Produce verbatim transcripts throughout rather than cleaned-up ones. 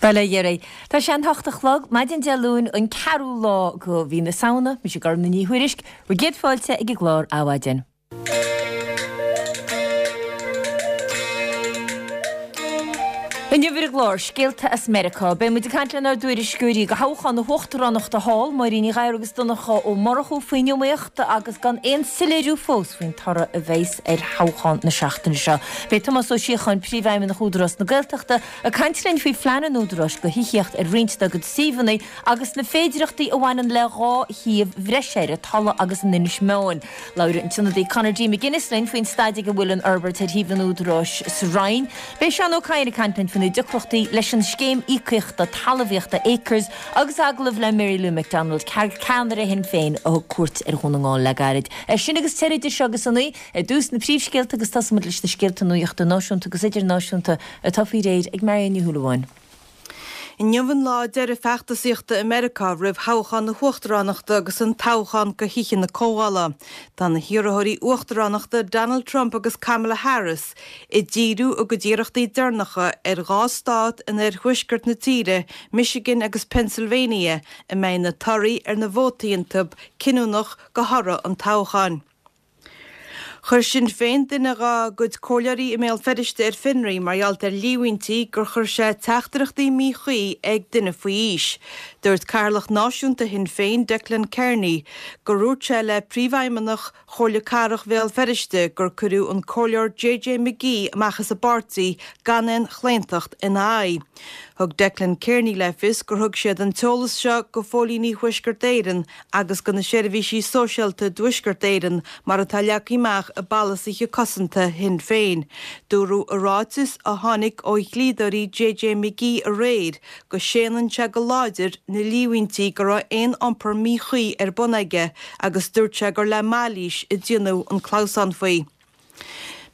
Bhuel, a Gherry, tá sé an hocht a chlog, maidin Dé Luain, an ceathrú lá de mhí na Samhna, mise Gormfhlaith Ní Thuairisg, bhur gcéad fáilte ag an gclár Adhmhaidin. Inniu ar an gclár, Scéalta as Meiriceá, beidh muid ag caint lenár dtuairisceoirí do thoghchán na huachtaránachta thall, Máirín Ní Ghadhra agus Donncha Ó Murchú faoin iomaíocht agus gan aon soiléiriú fós faoin toradh a bheas ar thoghchán na seachtaine seo. Beidh Tomás Ó Síocháin, Príomhfheidhmeannach Údarás na Gaeltachta, ag caint linn faoi phlean an Údaráis do thithíocht ar roinnt dá gcuid suíomhanna agus na féidearthachtaí a bhaineann le dhá shuíomh bhreise ar an Tulaigh agus in Inis Meáin. Labhróidh an tIonadaí Conor D. McGuinness linn faoin staid ag a bhfuil an fhorbairt ar shuíomh an Údaráis sa Rinn. Beidh Seán Ó Cadhain ag caint linn faoi na deacrachtaí leis an scéim íocaíochta talmhaíochta Acres agus agallamh le Mary Lou McDonald, ceannaire Shinn Féin a thug cuairt ar Dhún na nGall le gairid. É sin agus tuilleadh idir seo agus a naoi, ar dtús na príomhscéalta agus tosóimid leis na scéalta nuachta náisiúnta agus idirnáisiúnta atá faoi réir ag Marion Ní Shúilleabháin. Inniu an lá deiridh feachtasaíochta i Meiriceá roimh thoghchán na huachtaránachta agus an toghchán go Thithe na Comhdhála. Tá na hiarrthóirí uachtaránachta Donald Trump agus Kamala Harris ag díriú a gcuid iarrachtaí deireanacha ar dhá stát in oirthuaisceart na tíre, Michigan agus Pennsylvania, a mbeidh na torthaí ar na vótaí iontu cinniúnach go thoradh an toghcháin. Chuir Sinn Féin duine dá gcuid comhairleoirí i mBéal Feirste ar fionraí mar gheall ar líomhaintí gur chuir sé teachtaireachtaí míchuí ag duine faoi aois. Dúirt Cathaoirleach Náisiúnta Shinn Féin, Declan Kearney, gur dhúirt sé le Príomhfheidhmeannach Chomhairle Cathrach Bhéal Feirste gur cuireadh an Comhairleoir JJ McGee amach as an bpáirtí gan aon chlaontacht ina aghaidh. Thug Declan Kearney le fios gur thug siad an t-eolas seo go phóilíní Thuaisceart Éireann agus go na seirbhísí sóisialta i dTuaisceart Éireann mar atá leagtha amach i bpolasaithe cosanta Shinn Féin. Dúradh i ráiteas a tháinig ó dhlíodóirí JJ McGee aréir go séanann sé go láidir na líomhaintí go raibh aon iompar míchuí ar bun aige agus dúirt sé gur le mailís a déanadh an clamhsán faoi.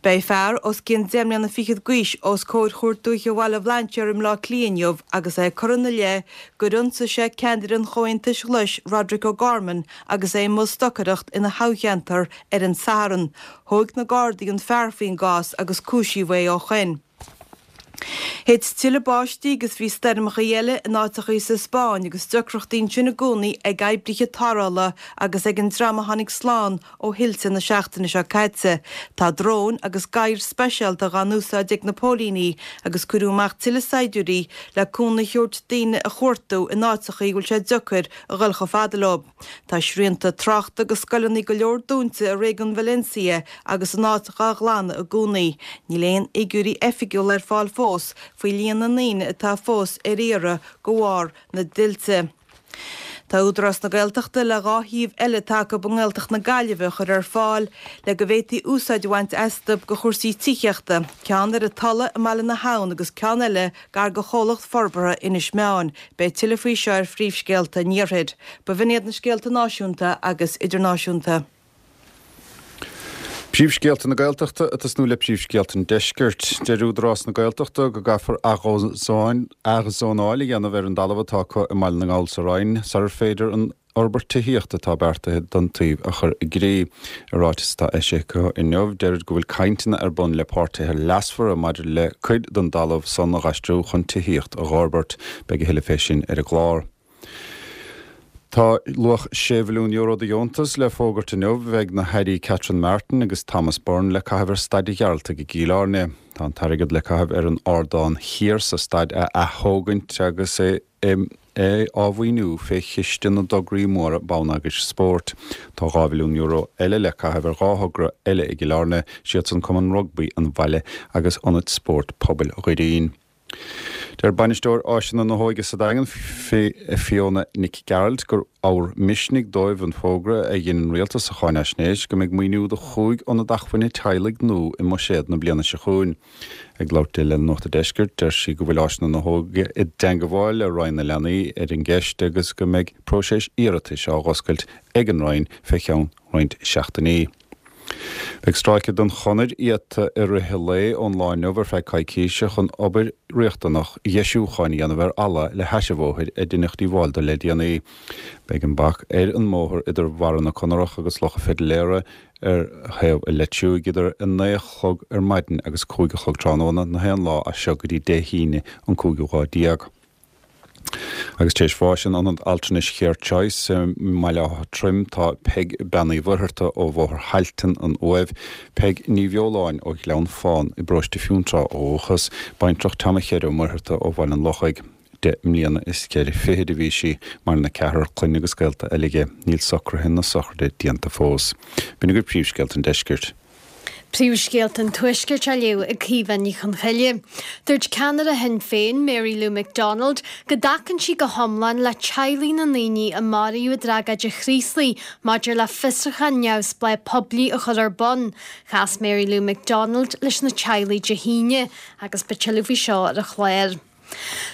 Beidh fear os cionn deich mbliana fichead d'aois os comhair Chúirt Dúiche Bhaile Bhlainséir i mBleá Cliath inniu agus é curtha ina leith gur ionsaigh sé ceannaire an Chomhaontais Ghlais, Roderic O'Gorman, agus é i mbun stocaireacht ina thoghcheantar ar an Satharn. Thóg na Gardaí an fear faoin gcás agus cúisíodh é ó shoin. Thit tuilleadh báistí agus bhí stoirmeacha eile in áiteachaí sa Spáinn agus deacrachtaí ansin i gcónaí ag oibrithe tarrthála agus ag an dream a tháinig slán ó thuilte na seachtaine seo caite. Tá dróin agus gadhair speisialta dhá n-úsáid ag na póilíní agus cuireadh amach tuilleadh saighdiúirí le cúnamh a thabhairt daoine a chuartú in áiteachaí a bhfuil sé deacair a dhul chomh fada leo. Tá srianta tráchta agus scoileanna go leor dúnta i réigiún Valencia agus an áit dhá ghlanadh i gcónaí. Níl aon fhigiúirí oifigiúla ar fáil fós faoi líon na ndaoine atá fós ar iarraidh de bharr na dtuilte. Tá Údarás na Gaeltachta le dhá shuíomh eile atá acu i nGaeltacht na Gaillimhe a chur ar fáil le go bhféadfaí úsáid a bhaint astu do chúrsaí tithíochta, ceann ar an Tulaigh i mBaile na hAbhann agus ceann eile gar do Chomhlacht Forbartha Inis Meáin. Beidh tuilleadh faoi seo ar Phríomhscéalta an Iarthair. B'in iad na scéalta náisiúnta agus idirnáisiúnta. Príomhscéalta na Gaeltachta ag tosnú le príomhscéalta an Deiscirt. Deir Údarás na Gaeltachta go gcaithfear athzónáil a dhéanamh ar an dtalamh atá acu i mBaile na nGall sa Rinn sarar féidir an fhorbairt tithíochta atá beartaithe don tsuíomh a chur i gcrích. I ráiteas atá eisithe acu inniu, deirid go bhfuil cainteanna ar bun le páirtithe leasmhara maidir le cuid den dtalamh san a dh'aistriú chun tithíocht a dh'fhorbairt. Beidh a thuilleadh fé sin ar an gclár. Tá luach sé mhilliún euro de dheontas le fógairt inniu ag na hAirí Catherine Martin agus Thomas Byrne le caitheamh ar Staid an Ghearaltaigh i gCill Airne. Tá an t-airgead le caitheamh ar an ardán thiar sa staid a ath-thógaint agus é é á mhaoiniú fé Chiste na dTograí Móra Bonneagair Spóirt. Tá dhá mhilliún euro eile le caitheamh ar dhá thogra eile i gCill Airne, siadsan Cumann Rugbaí an Bhaile agus Ionad Spóirt Pobail Dhoirín. Deir Bainisteoir Áiseanna na hÓige sa Daingean, Fiona Nic Gearailt, gur ábhar misnigh dóibh an fógra a dhein an Rialtas sa cháinaisnéis go mbeidh maoiniú do chúig ionad acmhainne teaghlaigh nua i mbuiséad na bliana seo chugainn. Ag labhairt di le Nuacht an Deiscirt, deir sí go bhfuil Áiseanna na hÓige i dteangmháil le Roinn na Leanaí ar an gceist agus go mbeidh próiseas iarratais á dh'oscailt ag an Roinn fé cheann roinnt seachtainí. Beidh stráice den chonair iata i rith an lae ón lá inniu ar feadh coicíse chun obair riachtanach dheisiúcháin a dhéanamh ar fhalla le hais an bhóthair a deineadh díobháil dó le déanaí. Beidh an bac ar an mbóthar idir Bharra na Conarach agus Loch an Phidiléara ar thaobh an Leitriúigh idir a naoi a chlog ar maidin agus cúig a chlog tráthnóna na haon lá as seo go dtí Dé hAoine an cúigiú lá déag. Agus tar éis bháis in Ionad Altranais Care Choice i mBaile Átha Troim tá Peig Bean Uí Mhuircheartaigh ó Bhóthar Thailtean, an Uaimh, Peig Ní Bheoláin ó Ghleann Fáin i bparóiste Fionntrá ó dhúchas, baintreach Tom Chere Ó Muircheartaigh ó Bhaile an Lochaigh. Deich mbliana is ceithre fichid a bhí sí, maireann a ceathrar clainne agus gaolta eile aici. Níl socruithe na sochraide déanta fós. B'in agaibh príomhscéalta an deiscirt. Príomhscéalta an Tuaiscirt á léamh ag Caoimhe Ní Chonchoille. Dúirt ceannaire Shinn Féin, Mary Lou McDonald, go dtacann sí go hiomlán le teaghlaigh na ndaoine a maraíodh i dtragóid an Chraoslaigh maidir le fiosrúchán neamhspleách poiblí a chur ar bun. Chas Mary Lou McDonald leis na teaghlaigh Dé hAoine agus beidh tuilleadh faoi seo ar an chlár.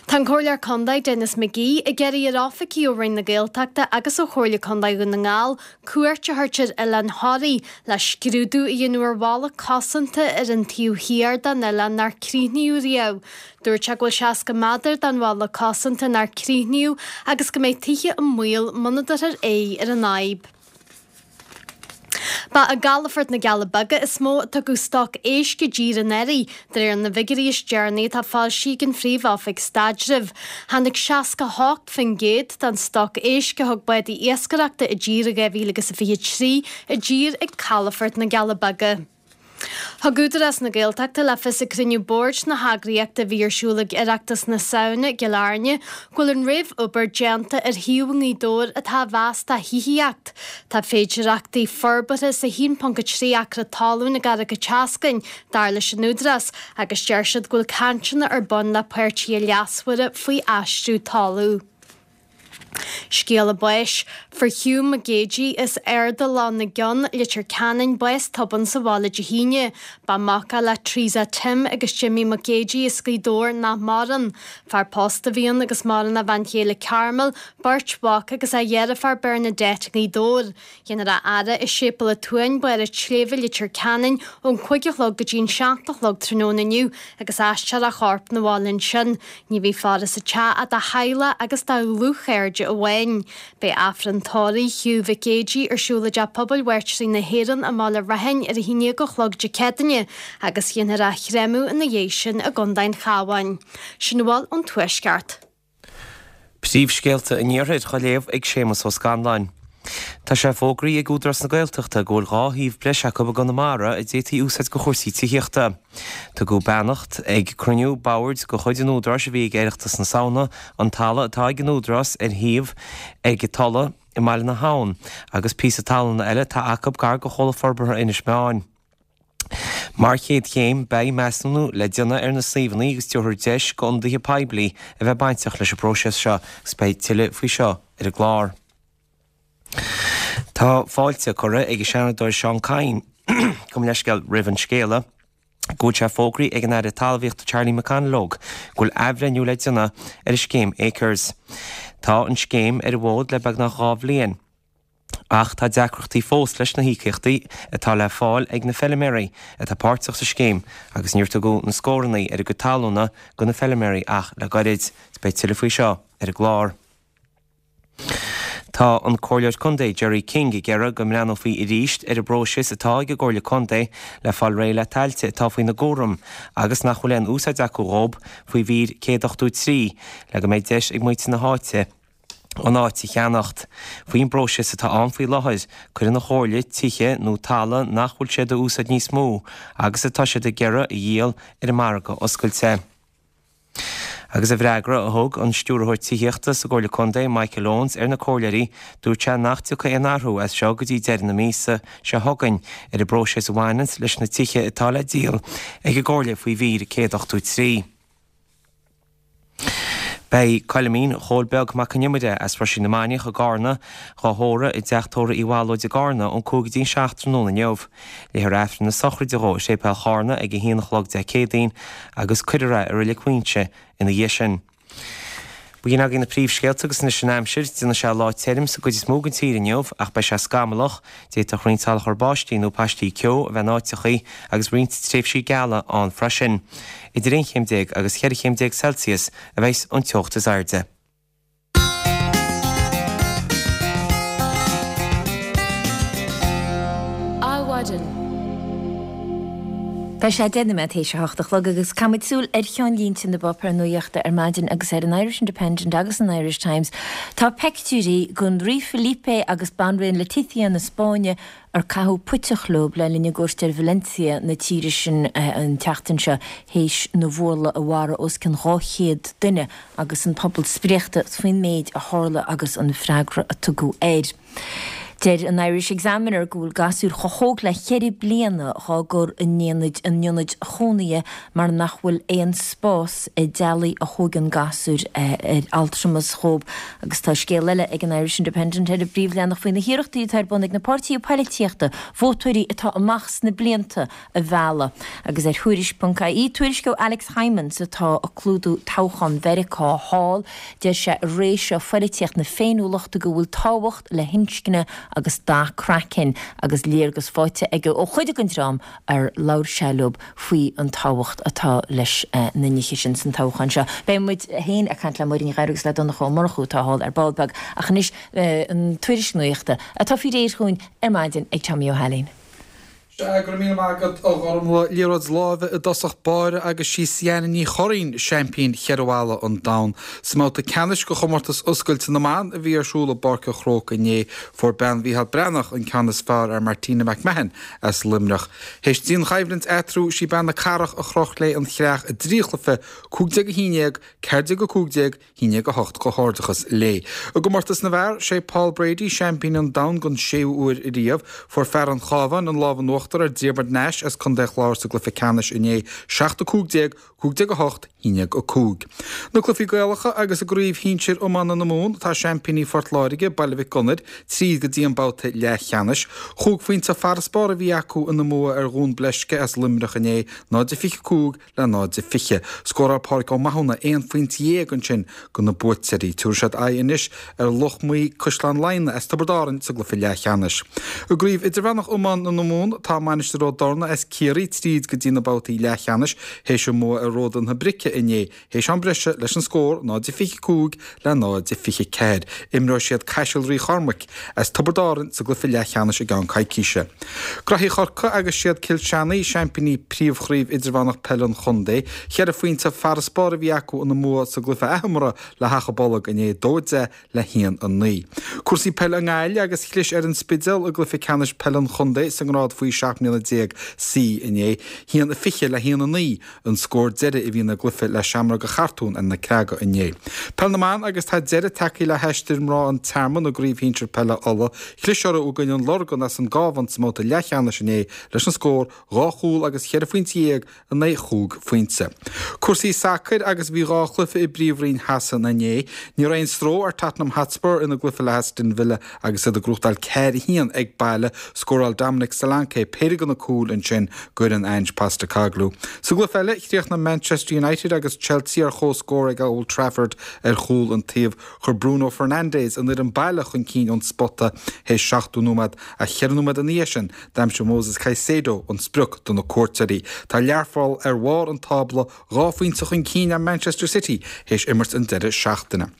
Tá an Comhairleoir Contae Denis McGee ag iarraidh ar oifigigh ó Roinn na Gaeltachta agus ó Chomhairle Contae Dhún na nGall cuairt a thabhairt ar Oileán Thoraí le scrúdú a dhéanamh ar bhalla cosanta ar an taobh thiar den oileán nár críochnaíodh riamh. Dúirt sé go bhfuil seasca méadar den bhalla cosanta nár críochnaíodh agus go mbeidh tithe i mbaol muna dtabharfar aghaidh ar an fhadhb. Ba i gcalafort na gCealla Beaga is mó a tugadh stoc éisc i dtír anuraidh, de réir na bhfigiúirí is deireanaí atá foilsithe ag an Phríomh-Oifig Staidrimh. Tháinig seasca hocht faoin gcéad den stoc éisc a thug bádaí iascaireachta i dtír i dhá mhíle agus a fiche trí i dtír ag calafort na gCealla Beaga. Thug Údarás na Gaeltachta le fios ag cruinniú boird na heagraíochta a bhí ar siúl ag Oireachtas na Samhna i gCill Airne go bhfuil an réamhobair déanta ar shuíomh i nGaoth Dobhair atá á mheas do thithíocht. Tá féidearthachtaí forbartha sa haon ponc a trí acra talún i gCarraig an tSeascainn, dar leis an Údarás, agus deir siad go bhfuil cainteanna ar bun le páirtithe leasmhara faoi aistriú talún. Scéala báis, Fuair Hugh Mac Géidigh as Ard Loch na gCeann, Leitir Ceanainn, bás tobann sa bhaile Dé hAoine. Ba mhac é le Teresa Tim agus Jimmy Mac Géidigh as Gaoth Dobhair nach maireann. Fear pósta a bhí ann agus maireann a bhean chéile Carmel, beirt mhac agus a dheirfiúr Bernadette i ngaoth Dobhair. Dhéanfar a fhaire i Séipéal an tSuain, Barr an tSléibhe, Leitir Ceanainn, ón cúig a chlog go dtí an seacht a chlog tráthnóna inniu agus aistreofar a chorp 'na bhaile ansin. Ní bheidh faire sa teach ach dá theaghlach agus dá dhlúthchairde amháin. Beidh Aifreann tórraimh Hugh Mhic Géidigh ar siúl i dTeach Pobail Mhairtírí na hÉireann i mBaile Raithin ar a haon déag a chlog Dé Céadaoine agus dhéanfar a chréamadh ina dhiaidh sin i gContae an Chabháin. Sin a bhfuil ón Tuaisceart. Príomhscéalta an Iarthair á léamh ag Séamus Ó Scanláin. Tá sé fógraithe ag Údarás na Gaeltachta go bhfuil dhá shuíomh breise acu i gConamara a d'fhéadfaí a úsáid do chúrsaí tithíochta. Tugadh beannacht ag cruinniú boird de chuid an Údaráis a bhí ag Oireachtas na Samhna an talamh atá ag an Údarás ar shuíomh ag Tulla i mBaile na hAbhann agus píosa talún eile atá acu gar do Chomhlacht Forbartha Inis Meáin. Mar chéad chéim, beidh measúnú le déanamh ar na suíomhanna agus tabharfar deis d'ionadaithe poiblí a bheith bainteach leis an bpróiseas seo agus beidh tuilleadh faoi seo ar an gclár. Tá fáilte curtha ag an Seanadóir Seán Kyne, gabh mo leithscéal, roimh an scéala go bhfuil sé fógraithe ag an Aire Talmhaíochta Charlie McConalogue go bhfuil athbhreithniú le déanamh ar an scéim Acres. Tá an scéim ar an bhfód le beagnach dhá bhliain ach tá deacrachtaí fós leis na híocaíochtaí atá le fáil ag na feilméaraí atá páirteach sa scéim agus níor tugadh na scóranna ar a gcuid talúna do na feilméaraí ach le gairid. Beidh tuilleadh faoi seo ar an gclár. Tá an Comhairleoir Contae Gerry King ag iarraidh go mbreathnófaí arís ar an bpróiseas atá ag an gComhairle Contae le fáil réidh le tailte atá faoina gcúram agus nach bhfuil aon úsáid acu dhóib faoi mhír céad ochtó trí le go mbeidh deis ag muintir na háite an áit a cheannacht. Faoin bpróiseas atá ann faoi láthair, cuireann an Chomhairle tithe nó talamh nach bhfuil siad a úsáid níos mó agus atá siad ag iarraidh a dhíol ar an margadh oscailte. Agus i bhfreagra a thug an Stiúrthóir Tithíochta sa gComhairle Contae, Michael Owens, ar na comhairleoirí, dúirt sé nach dtiocfaidh aon athrú as seo go dtí deireadh na míosa seo chugainn ar an bpróiseas a bhaineanns leis na tithe atá le díol ag an gComhairle faoi mhír céad ochtó trí. Beidh Coilimín Chóil Beag Mac Con Iomaire as Roisín na Mainiach i gCarna dhá thórramh i dteach tórraimh Uí Bhallóid i gCarna ón cúig go dtí an seacht tráthnóna inniu. Léifear Aifreann na sochraide dhó i Séipéal Charna ag a haon a chlog Dé Céadaoin agus cuirfear é i Reilig Mhuighinse ina dhiaidh sin. B'in agaibh na príomhscéalta agus anois an aimsir. Déanfaidh sé lá tirim sa gcuid is mó den tír inniu ach beidh sé scamallach. D'fhéadfadh roinnt salachar báistí nó paistí ceo a bheith in áiteachaí agus roinnt tréimhsí geala ann freisin. Idir aon chéim déag agus cheithre chéim déag Celsius a bheas an teocht is airde. Adhmhaidin. Tá sé deich nóiméad théis a hocht a chlog agus caithfimid súil ar cheannlínte na bpáipéar nuachta ar maidin agus ar an Irish Independent agus an Irish Times. Tá peictiúirí den Rí Felipe agus Banríon Letizia na Spáinne ar caitheadh puiteach leo le linn a gcuairt ar Valencia na tíre sin an tseachtain seo théis na bhfuarlaigh a mharaigh os cionn dhá chéad duine agus an pobal spréachta faoin méid a tharla agus an freagra a tugadh air. Deir an Irish Examiner go bhfuil gasúir chomh hóg le ceithre bliana á gcur in ionaid chónaithe mar nach bhfuil aon spás i dteaghlaigh a thógann gasúir ar altramas dhóibh. Agus tá scéal eile ag an Irish Independent ar an bpríomhleathanach faoi na hiarrachtaí atá ar bun ag na páirtithe poilitíochta vótóirí atá amach sna blianta a mhealladh. Agus ar Thuairisc ponc ie tuairisc ó Alex Hijmans atá ag clúdú toghchán Mheiriceá thall, deir sé i ré seo phoilitíocht na féiniúlachta go bhfuil tábhacht le hinscne agus dath craicinn agus léargas faighte aige ó chuid den dream ar labhair sé leo faoi an tábhacht atá leis na nithe sin san toghchán seo. Beidh muid féin ag caint le Máirín Ní Ghadhra agus le Donncha Ó Murchú atá thall ar ball beag ach anois an tuairisc nuachta atá faoi réir chugainn ar maidin ag Tommy Ó hAilín. Sea, go raibh míle maith agat, a Ghormfhlaith. Liathróid láimhe i dtosach báire agus sí Siana Ní Churraoin seaimpín cheithre bhalla an domhain. Sa mbabhta ceannais de chomórtas oscailte na mban a bhí ar siúl i bPáirc an Chrócaigh inné, fuair bean Mhícheál Breathnach an ceann is fearr ar Martina McMahon as Luimneach. Théis dianchoimhlint eatarthu, sí bean na Cathrach a chroch léi an chreach i dtrí chluiche, cúig déag a haon déag, ceathair déag a cúig déag, haon déag a hocht. Comhghairdeachas léi. I gcomórtas na bhfear, sé Paul Brady seaimpín an domhain don séú huair riamh. Fuair fear an Chabháin an lámh in uachtar ar Diarmuid Nash as Contae an Chláir sa gcluiche ceannais inné, seacht a cúig déag, cúig déag a hocht, haon déag a cúig. Na cluichí Gaelacha agus i gcraobh shinsir iomána na Mumhan tá seaimpíní Phort Láirge, Baile Mhic Gonair, tríd go dtí an babhta leathcheannais. Chúig phointe farasbarr a bhí acu ina mbua ar Dhún Bleisce as Luimneach inné, náid a fiche cúig le náid a fiche. Scóráil Pádraig Ó Mathúna aon phointe dhéag ansin do na buaiteoirí. Tabharfaidh siad aghaidh anois ar Loch Muí Caisleán Laighean as Tiobraid Árann sa gcluiche leathcheannais. I gcraobh idirmheánach iomána na Mumhan tá Mainistir Ó dTorna as Ciarraí tríd go dtí na babhtaí leathcheannais théis a mbua ar Ródan na Brice inné théis am breise leis an scór náid a fiche cúig le náid a fiche ceathair. Imreoidh siad Caiseal Rí Chormaic as Tiobraid Árann sa gcluiche leathcheannais i gceann coicíse. Graithí Chorcaí agus siad Cill Seanaigh seaimpíní Príomhchraobh Idirmheánach Peile an Chontae. Cheithre phointe farasbarr a bhí acu ina mbua sa gcluiche athimeartha le hAchadh Bolg inné, dó a deich le haon a naoi. Cúrsaí peile i nGaillimh agus chlis ar an Spidéal i gcluiche ceannais peile an chontae sa ngrád faoi seacht mbliana déag C inné, haon a fiche le haon a naoi an scór deiridh a bhí ina gcluiche le Seamróga Chartúin ar na Creaga inné. Peil na mBan agus tá deireadh tagtha le haistear mná an Tearmainn i gCraobh Shinsir Peile Uladh. Chlis orthu i gcoinne an Lorgan as an gCabhán sa mbabhta leathcheannais inné leis an scór dhá chúl agus cheithre phointe dhéag in aghaidh chúig phointe. Cúrsaí sacair agus bhí dhá chluiche i bPríomhroinn Shasana inné. Ní raibh aon stró ar Tottenham Hotspur ina gcluiche le Aston Villa agus iad ag gnóthachtáil ceathair a haon ag baile. Scóráil Dominic Solanke péire de na cúil ansin d'fhoireann Ange Postecoglou. Sa gcluiche eile, chríochnaigh Manchester United agus Chelsea ar comhscór ag Old Trafford ar chúl an taobh. Chuir Bruno Fernandes an fhoireann baile chun cinn ón spota théis seachtó nóiméad ach ceithre nóiméad ina dhiaidh sin d'aimsigh Moses Caicedo an sprioc do na cuairteoirí. Tá Learpholl ar bharr an tábla, dhá phointe chun cinn ar Manchester City théis imirt an deireadh seachtaine.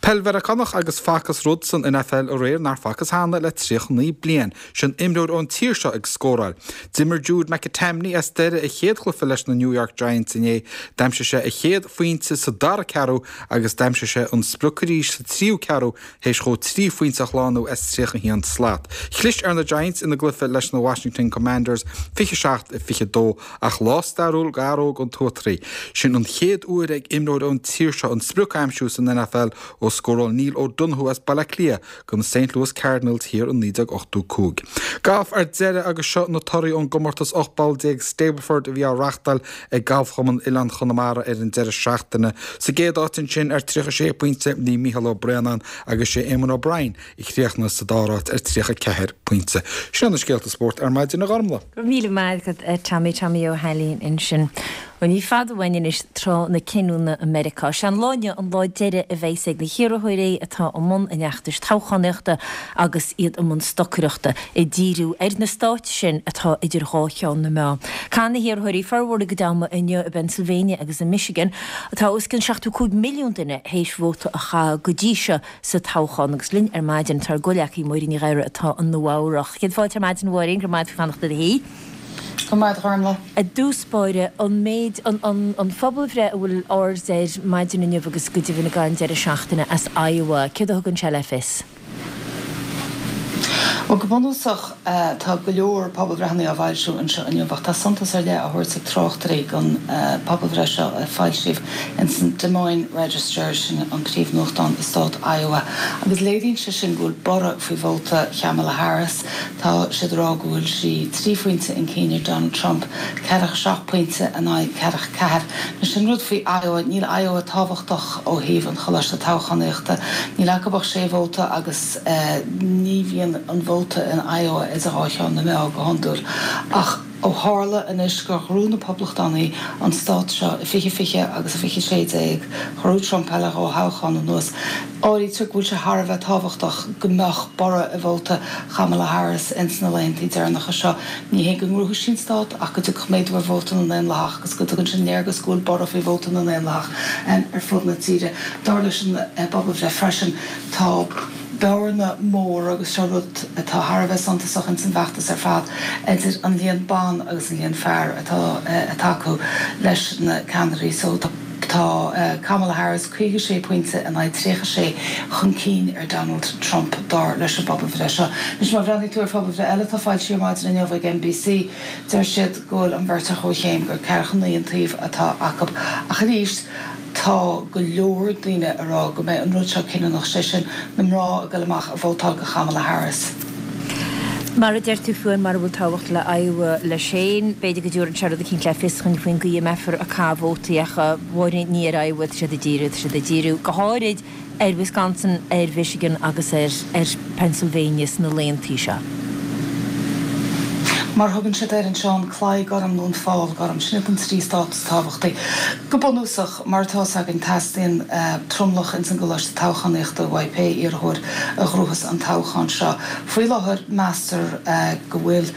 Peil Mheiriceánach agus facthas rud san N F L aréir nár facthas cheana le tríocha naoi bliain, sin imreoir ón tír seo ag scóráil. D'imir Jude McAtamney as Doire a chéad chluiche leis na New York Giants inné. D'aimsigh sé a chéad phointe sa dara ceathrú agus d'aimsigh sé an sprioc arís sa tríú ceathrú théis dhó trí phointe a shlánú as tríocha haon slat. Chlis ar na Giants ina gcluiche leis na Washington Commanders fiche seacht fiche dó ach lá stairiúil d'fhear óg an Tuatraí. Sin an chéad uair ag imreoir ón tír seo an sprioc a aimsiú san N F L ó scóráil Neil O'Donoghue as Baile Átha Cliath do na Saint Louis Cardinals thiar in naoi déag ochtó cúig. Galf ar deireadh agus seo na torthaí ón gcomórtas ocht bpoll déag Stableford a bhí á reáchtáil ag Galfchumann Oileán Chonamara ar an deireadh seachtaine. Sa gcéad áit ansin ar tríocha sé pointe bhí Mícheál Ó Braonáin agus sé Eamon O'Brien a chríochnaigh sa dara háit ar tríocha ceathair pointe. Sin na scéalta spóirt ar maidin, a Ghormfhlaith. Go raibh míle maith agat, Tommy. Tommy Ó hAilín ansin. Ó ní fada uainn anois tráth na cinniúna i Meiriceá. Sé an lá inniu an lá deiridh a bheas ag na hiarrthóirí atá i mbun an fheachtais toghchánaíochta agus iad i mbun stocaireachta, ag díriú ar na stáit sin atá idir dhá cheann na meá. Caithfidh na hiarrthóirí formhór a gcuid ama inniu i bPennsylvania agus i Michigan. Tá os cionn seachtó cúig milliún duine théis vóta a chaitheamh go dtí seo sa toghchán agus linn ar maidin tá ár gcomhghleacaí Máirín Ní Ghadhra atá i Nua Eabhrac. Céad fáilte ar maidin, a Mháirín, go raibh maith agat faoi fanacht i do shuí. Go maith, a Ghormfhlaith. I dtús báire, an méid, an, an, an phobalbhreith a bhfuil aird air maidin inniu agus go deimhin ag an deireadh seachtaine as Iowa, céard a thugann sé le fios? Bhuel, go bunúsach, tá go leor pobalbhreitheanna á bhfoilsiú anseo inniu ach tá suntas ar leith á thabhairt ag tráchtairí don pobalbhreith seo a foilsíodh ins an Des Moines Register, sin an príomhnuachtán i stát Iowa, agus léiríonn sé sin go bhfuil borradh faoi vóta Kamala Harris. Tá siad ag rá go bhfuil sí trí phointe chun cinn ar Donald Trump, ceathracha seacht pointe in aghaidh ceathracha ceathair. Anois an rud faoi Iowa, níl Iowa tábhachtach ó thaobh an choláiste toghchánaíochta, níl acu ach sé vóta agus ní bhíonn an vóta in Iowa idir dhá cheann na meá go hiondúil. Ach ó tharla anois gur ghnóthaigh na Poblachtánaigh an stát seo i fiche fiche agus i fiche sé déag, ghnóthaigh Trump é le dhá thoghchán anuas, áirítear go bhfuil sé thar a bheith tábhachtach go mbeadh borradh i vóta Kamala Harris ins na laethanta deireanacha seo. Ní hé go ngnóthóidh sí an stát ach go dtiocfadh méadú ar vóta na nDaonlathach agus go dtugann sin léargas go bhfuil borradh faoi vóta na nDaonlathach ar fud na tíre. Dar leis an bpobalbhreith freisin, tá bearna mór, agus seo rud atá thar a bheith suntasach ins an bhfeachtas ar fad, idir an líon ban agus an líon fear atá ag tacú leis na ceannairí. So tá Kamala Harris caoga sé pointe in aghaidh tríocha sé chun cinn ar Donald Trump, dar leis an bpobalbhreith seo. Anois má bhreathnaíonn tú ar phobalbhreith eile atá foilsithe ar maidin inniu ag N B C, deir siad go bhfuil an bheirt ar chomhchéim, gur ceathracha naoi an taobh atá acu. Ach arís, tá go leor daoine ag rá go mbeidh an rud seo cinniúnach, sé sin, na mná ag dul amach ag vótáil do Kamala Harris. Mar a deir tú féin, mara bhfuil tábhacht le Iowa leis féin, b'fhéidir go dtabharfaidh sé rud eicínt le fios dhúinn faoin gcaoi a mbeifear ag caitheamh vótaí ach a Mháirín, ní ar Iowa atá siad ag díriú, tá siad ag díriú go háirid ar Wisconsin, ar Mhichigan agus ar ar Pennsylvania sna laethantaí seo. Mar a thugann siad air anseo, an claí gorm nó an fál gorm, sin iad an trí stát is tábhachtaí. Go bunúsach, mar atá 'fhios againn, teastaíonn tromlach ins an gcoláiste toghchánaíochta uaidh pé iarrthóir a ghnóthós an toghchán seo. Faoi láthair, meastar go bhfuil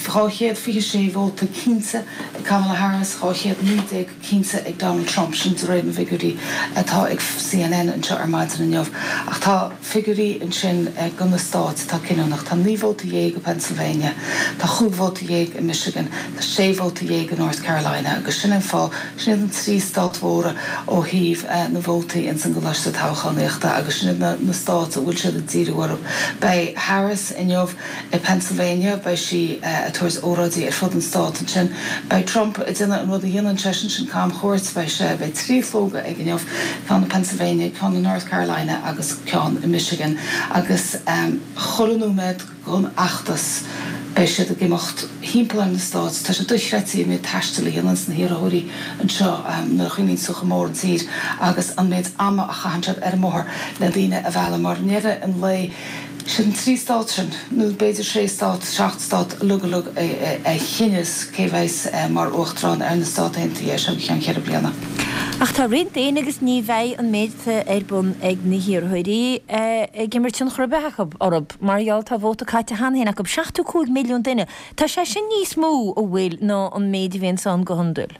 dhá chéad fiche sé vóta cinnte ag Kamala Harris, dhá chéad naoi déag cinnte ag Donald Trump, sin de réir na bhfigiúirí atá ag C N N anseo ar maidin inniu. Ach tá figiúirí ansin do na stáit atá cinniúnach. Tá naoi vóta dhéag i Pennsylvania, tá chúig vóta dhéag i Michigan, tá sé vóta dhéag i North Carolina agus sin an fáth, sin iad an trí stát mhóra ó thaobh na vótaí ins an gcoláiste toghchánaíochta agus sin iad na na stáit a bhfuil siad ag díriú orthu. Beidh Harris inniu i Pennsylvania, beidh sí ag tabhairt óráidí ar fud an stáit ansin. Beidh Trump ag déanamh an rud a dhéanann seisean, sin camchuairt, beidh sé, beidh trí shlógadh aige inniu, ceann i Pennsylvania, ceann i North Carolina agus ceann i Michigan agus chuile nóiméad den fheachtas beidh siad ag imeacht thimpeall ar na stáit. Tá sé dochreidte an méid taistil a dhéananns na hiarrthóirí anseo nuair a chuimhníonn tú chomh mór an tír agus an méid ama a chaitheann siad ar an mbóthar le daoine a mhealladh mar i ndeireadh an lae sin trí stát sin, nó b'fhéidir sé stát, seacht stát uilig uilig a chinneas cé bheas mar uachtarán ar na Stáit Aontaithe as seo go ceann ceithre bliana. Ach tá roinnt daoine agus ní bheidh an méid atá ar bun ag na hiarrthóirí ag imirt tionchar ar bith acu orthu mar gheall tá vóta caite cheana féin acu, seachtó cúig milliún duine. Tá sé sin níos mó a bhfuil ná an méid a bhíonn ann go hiondúil.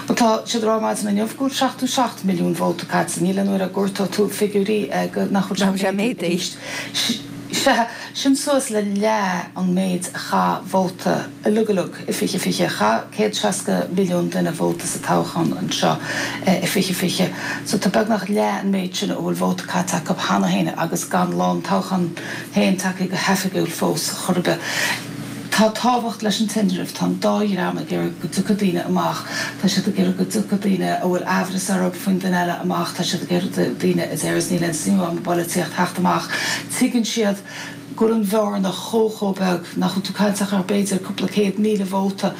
Bhuel tá siad ag rá maidin inniu go bhfuil seachtó seacht milliún vóta caite. Níl aon uair a gcuartóidh tú figiúirí go nach bhfuil sé méadaithe arís. Sea, sin suas le leath an méid a chaith vóta uilig uilig i fiche fiche. Chaith céad seasca milliún duine vóta sa toghchán anseo i fiche fiche. So tá beagnach leath an méid sin a bhfuil vóta caite acu cheana féin agus gan lá an toghcháin féin tagtha go hoifigiúil fós chor ar bith. Tá tábhacht leis an tinreamh, tá an dá dhream ag iarraidh go dtiocfaidh daoine amach, tá siad ag iarraidh go dtiocfaidh daoine a bhfuil aimhreas orthu faoin duine eile amach, tá siad ag iarraidh daoine a déarfas níl aon suim agam i bpolaitíocht theacht amach. Tuigeann siad go bhfuil an bhearna chomh chomh beag nach bhfuil tú ag caint ach ar b'fhéidir cúpla céad míle vóta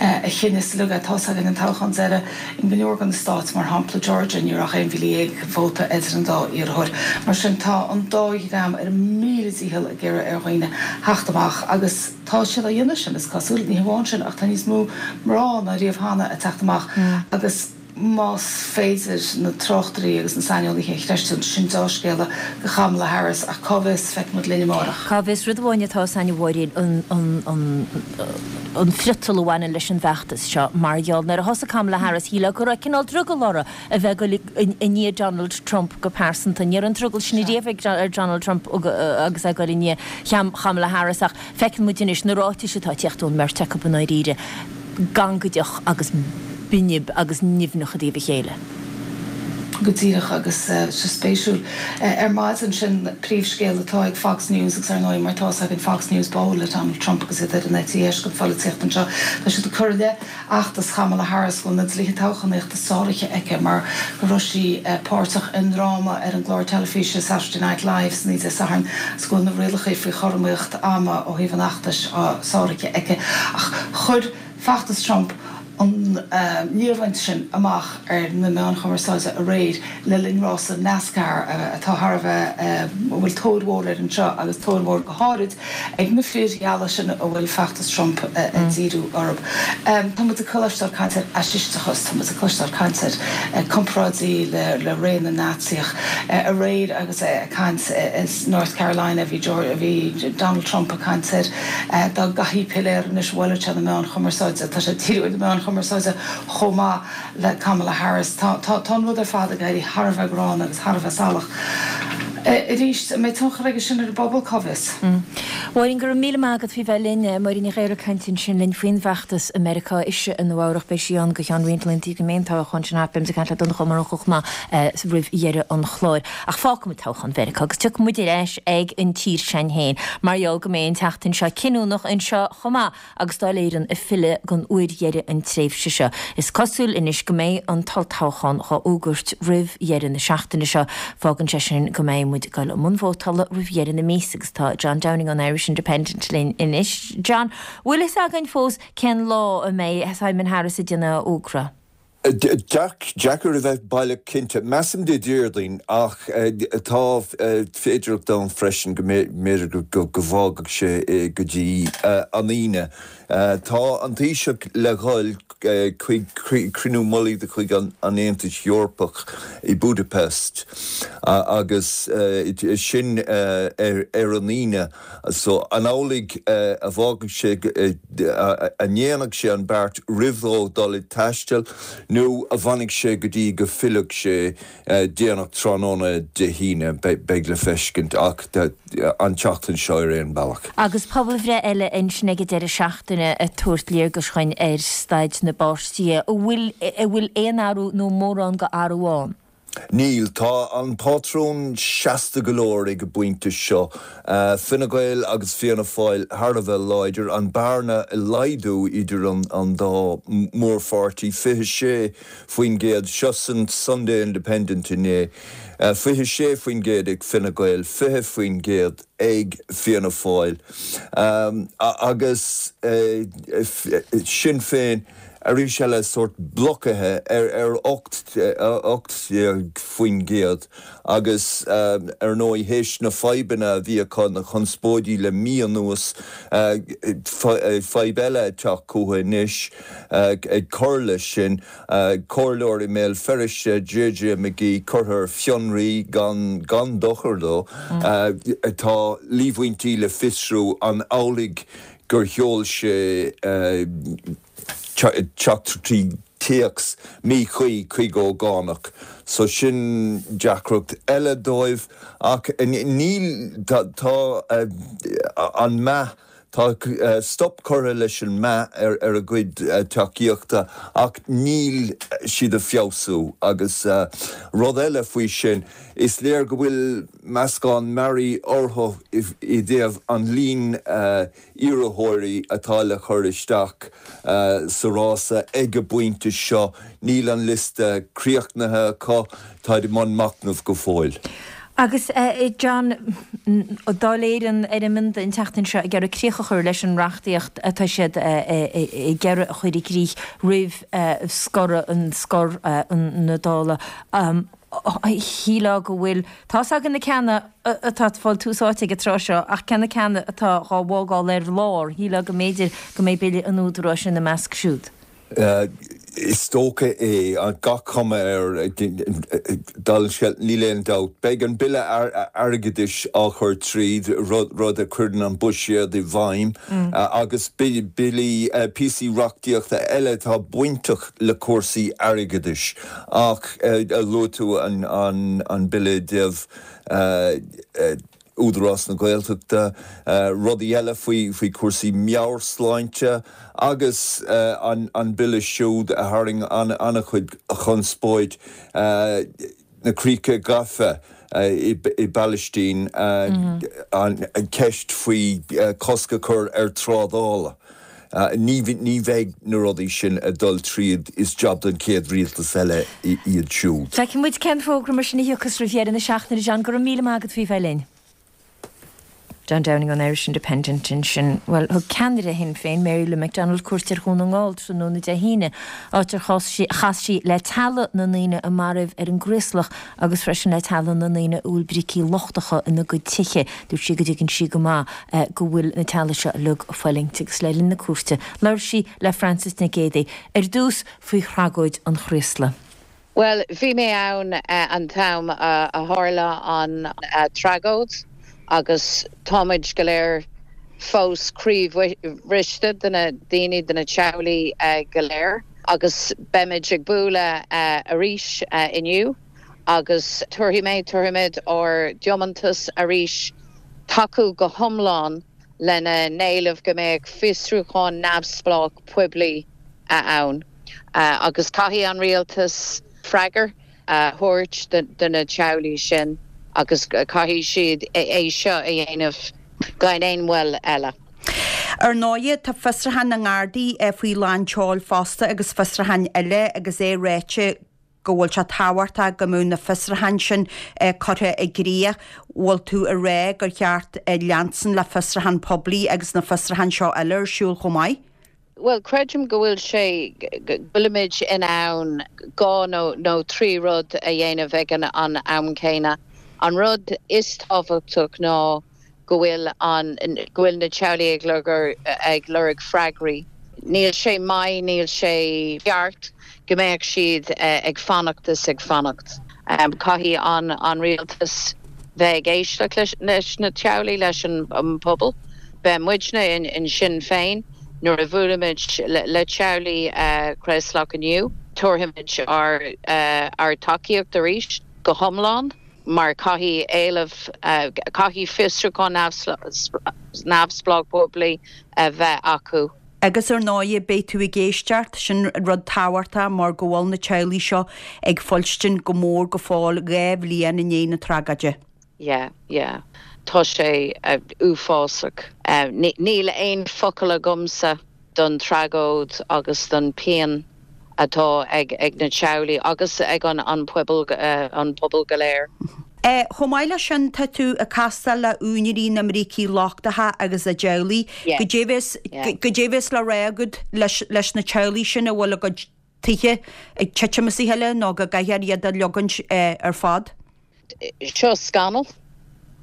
a chinneas uilig é. Tá's againn an toghchán deiridh in go leor de na stáit, mar shampla Georgia, ní raibh ach aon mhíle dhéag vóta idir an dá iarrthóir. Mar sin tá an dá dhream ar a míle dícheall ag iarraidh ar dhaoine theacht amach agus tá siad á dhéanamh sin, is cosúil. Ní hamháin sin ach tá níos mó mná ná riamh cheana ag teacht amach agus Más féidir na tráchtairí agus na saineolaithe a chreistiúint, sin dea-scéala do Kamala Harris, ach cá bhfios, feicfidh muid linn amárach. Cá bhfios, rud amháin atá ann a Mháirín, an friotal a bhaineann leis an bhfeachtas seo, mar gheall nuair a thosaigh Kamala Harris, shílfeá go raibh cineál drogall uirthi a bheith ag dul i ndiaidh Donald Trump go pearsanta. Ní raibh an drogall sin riamh ag Donald Trump agus é ag dul i ndiaidh Kamala Harris ach feiceann muid anois na ráitis atá ag teacht ón mbeirt acu i ndáiríre, gangaideach agus binib agus nimhneach i dtaobh a chéile. Go díreach, agus sé spéisiúil ar maidin sin príomhscéal atá ag Fox News agus ar ndóigh mar tá a fhios againn Fox News báúil le Donald Trump agus iad ar an eite dheis den pholaitíocht anseo, tá siad ag cur i leith fheachtas Kamala Harris go bhfuil na dlíthe toghchánaíochta sáraithe aici mar go raibh sí páirteach i ndráma ar an gclár teilifíse Saturday Night Live san oíche Dé Sathairn agus go bhfuil na rialacha faoi chothromaíocht ama ó thaobh an fheachtais sáraithe aici. Ach chuir feachtas Trump an líomhaint sin amach ar na meáin chumarsáide aréir le linn rása NASCAR atá thar a bheith, a bhfuil tóir mhór air anseo agus tóir mhór go háirid ag na fir gheala sin a bhfuil feachtas Trump ag díriú orthu. Tá muid ag cloisteáil caint ar fhaisisteachas, tá muid ag cloisteáil caint ar comparáidí le ré na Naitsíoch. Aréir agus é ag caint i North Carolina bhí bhí Donald Trump ag caint ar dá gcaithfí piléar anois bhailfeadh sé na meáin chumarsáide, tá sé ag díriú ar na meáin chumarsáide chomh maith le Kamala Harris. Tá tá an rud ar fad ag éirí thar a bheith gránna agus thar a bheith salach. Arís, an mbeidh tionchar aige sin ar an bpobal, cá bhfios? Máirín, go raibh míle maith agat faoi bheith linn. Máirín Ní Ghaora ag caint ansin linn faoin bhfeachtas i Meiriceá. Ise i Nua Eabhrac, beidh sí ann go ceann roinnt laethanta go mbeidh an toghchán sin thart. Beidh muid ag caint le Donncha Ó Murchú chomh maith roimh dheireadh an chláir. Ach fágfaidh muid toghchán Mheiriceá agus tiocfaidh muid ar ais ag an tír s'againn féin mar gheall go mbeidh an tseachtain seo cinniúnach anseo chomh maith. agus Dáil Éireann ag filleadh don uair dheiridh an tréimhse seo. Is cosúil anois go mbeidh an t-olltoghchán dhá fhógairt roimh dheireadh na seachtaine seo. Fágann sé sin go mbeidh muid ag dul i mbun vótála roimh dheireadh na míosa agus tá John Downing ón Irish Independent linn anois. John, bhfuil fhios againn fós cén lá a mbeidh Simon Harris ag déanamh a fhógra? Deacair a bheith baileach cinnte. Measaim Dé Déardaoin ach tá féidearthacht ann freisin go mb'fhéidir go bhfágfadh sé é go dtí an Aoine. Tá an Taoiseach le dhul chuig cruinniú mullaigh de chuid an Aontais Eorpaigh i Budapest agus sin ar an Aoine. So an amhlaidh a bhfágfaidh sé, a ndéanfaidh sé an beart roimh dhó dul ag taisteal nó a bhfanfaidh sé go dtí go bhfillfidh sé déanach tráthnóna Dé hAoine, beidh le feiscint ach an tseachtain seo ar aon bealach. Agus pobalbhreith eile ansin ag an deireadh seachtaine ag tabhairt léargais dhuinn ar staid na bpáirtithe. An bhfuil, an bhfuil aon athrú nó mórán go athrú ann? Níl. Tá an pátrún seasta go leor ag an bpointe seo. Fine Gael agus Fianna Fáil thar a bheith láidir, an bearna ag laghdú idir an dá mhórpháirtí, fiche sé faoin gcéad, seo san Sunday Independent inné, fiche sé faoin gcéad ag Fine Gael, fiche faoin gcéad ag Fianna Fáil agus Sinn Féin. Arís eile, sórt blocaithe ar ocht déag faoin gcéad agus ar ndóigh théis na fadhbanna a bhí acu, na conspóidí le mí anuas, fadhb eile ag teacht chucu anois ag cur leis sin, comhairleoir i mBéal Feirste, JJ McGee, curtha ar fionraí gan gan dochar dó. Tá líomhaintí le fiosrú an amhlaidh gur sheol sé teachtaireachtaí téacs míchuí chuig ógánach. So sin deacracht eile dóibh ach níl, tá an meath, tá stop curtha leis an meath ar a gcuid tacaíochta ach níl siad ag feabhsú agus rud eile faoi sin, is léir go bhfuil meascán mearaí orthu i dtaobh an líon iarrthóirí atá le cur isteach sa rása ag an bpointe seo. Níl an liosta críochnaithe acu, táid i mbun machnaimh go fóill. Agus John, Dáil Éireann ar an mbionda an tseachtain seo ag iarraidh críoch a chur leis an reachtaíocht atá siad ag iarraidh a chur i gcrích roimh scoradh an scor na Dála. Shílfeá go bhfuil, tá's againn na ceanna atá ag fáil tús áite ag an tráth seo, ach cé na ceanna atá dhá bhfágáil ar lár, shílfeá go mb'fhéidir go mbeidh Bille an Údaráis ina measc siúd. Is dócha é gach cuma air dála an scéil níl aon dabht. Beidh an Bille Airgeadais á chur tríd, rud a chuireann an buiséad i bhfeidhm, agus billí, píosaí reachtaíochta eile atá bainteach le cúrsaí airgeadais. Ach luaigh tú an Bille i dtaobh Údarás na Gaeltachta, rudaí eile faoi chúrsaí meabhairshláinte agus an bille siúd a tharraing an-chuid conspóid, na críocha gafa i bPalaistín, an cheist faoi cosc a chur ar trádáil. Ní bheidh na rudaí sin ag dul tríd, is jab don chéad rialtas eile iad siúd. Feicfidh muid cén fógra mar sin a thiocfas roimh dheireadh na seachtaine, John. Go raibh míle maith agat faoi bheith linn. John Downing ón Irish Independent ansin. Bhuel, thug ceannaire Shinn Féin, Mary Lou McDonald, cuairt ar Dhún na nGall tráthnóna Dé hAoine, áit ar chas sí le teaghlaigh na ndaoine a maraíodh ar an gCraoslach agus freisin le teaghlaigh na ndaoine a bhfuil brící lochtacha ina gcuid tithe. Dúirt sí go dtuigeann sí go maith go bhfuil na teaghlaigh seo uilig ag fulaingt agus le linn na cuairte labhair sí le Frances Nic Géadaigh ar dtús faoi thragóid an Chraoslaigh. Bhuel, bhí mé ann an t-am a tharla an tragóid agus táimid go léir fós croíbhriste do na daoine, do na teaghlaigh go léir agus beimid ag bualadh arís inniu agus tabharfaidh mé, tabharfaimid ár dtiomantas arís tacú go hiomlán lena n-éileamh go mbeadh fiosrúchán neamhspleách poiblí ann agus caithfidh an rialtas freagra a thabhairt do na teaghlaigh sin agus caithfidh siad é seo a dhéanamh gan aon mhoill eile. Ar ndóigh, tá fiosrúchán na nGardaí faoi lán tseoil fosta agus fiosrúcháin eile agus é ráite go bhfuil sé tábhachtach go mbeadh na fiosrúcháin sin curtha i gcrích. Bhfuil tú ag rá gur cheart leanstan le fiosrúchán poiblí agus na fiosrúcháin seo eile ar siúl chomh maith? Bhuel, creidim go bhfuil sé, go bhfuilimid in ann dhá nó nó trí rud a dhéanamh ag an am céanna. An rud is tábhachtach ná go bhfuil an, go bhfuil na teaghlaigh ag lorg, ag lorg freagraí. Níl sé maith, níl sé ceart go mbeadh siad ag fanacht is ag fanacht. Caithfidh an an rialtas bheith ag éisteacht leis leis na teaghlaigh, leis an bpobal. Beidh muidne in in Sinn Féin nuair a bhuailimid le teaghlaigh Chraoslach inniu, tabharfaimid ár ár dtacaíocht arís go hiomlán mar caithfidh éileamh, caithfidh fiosrúchán neamhspleách poiblí a bheith acu. Agus ar ndóigh beidh tú ag éisteacht, sin rud tábhachtach mar go bhfuil na teaghlaigh seo ag fuilstin go mór go fóill dhá bhliain i ndiaidh na tragóide. Yeah, yeah. Tá sé uafásach. Níl aon focal agamsa don tragóid agus don pian atá ag ag na teaghlaigh agus ag an an pobal an pobal go léir. Chomh maith leis sin, tá tú ag castáil le úinéirí na mbrící lochtacha agus a dteaghlaigh. Goidé bheas goidé bheas le rá agat leis leis na teaghlaigh sin a bhfuil a gcuid tithe ag titim as a chéile nó go gcaithfear iad a leogaint ar fad? Seo scannal.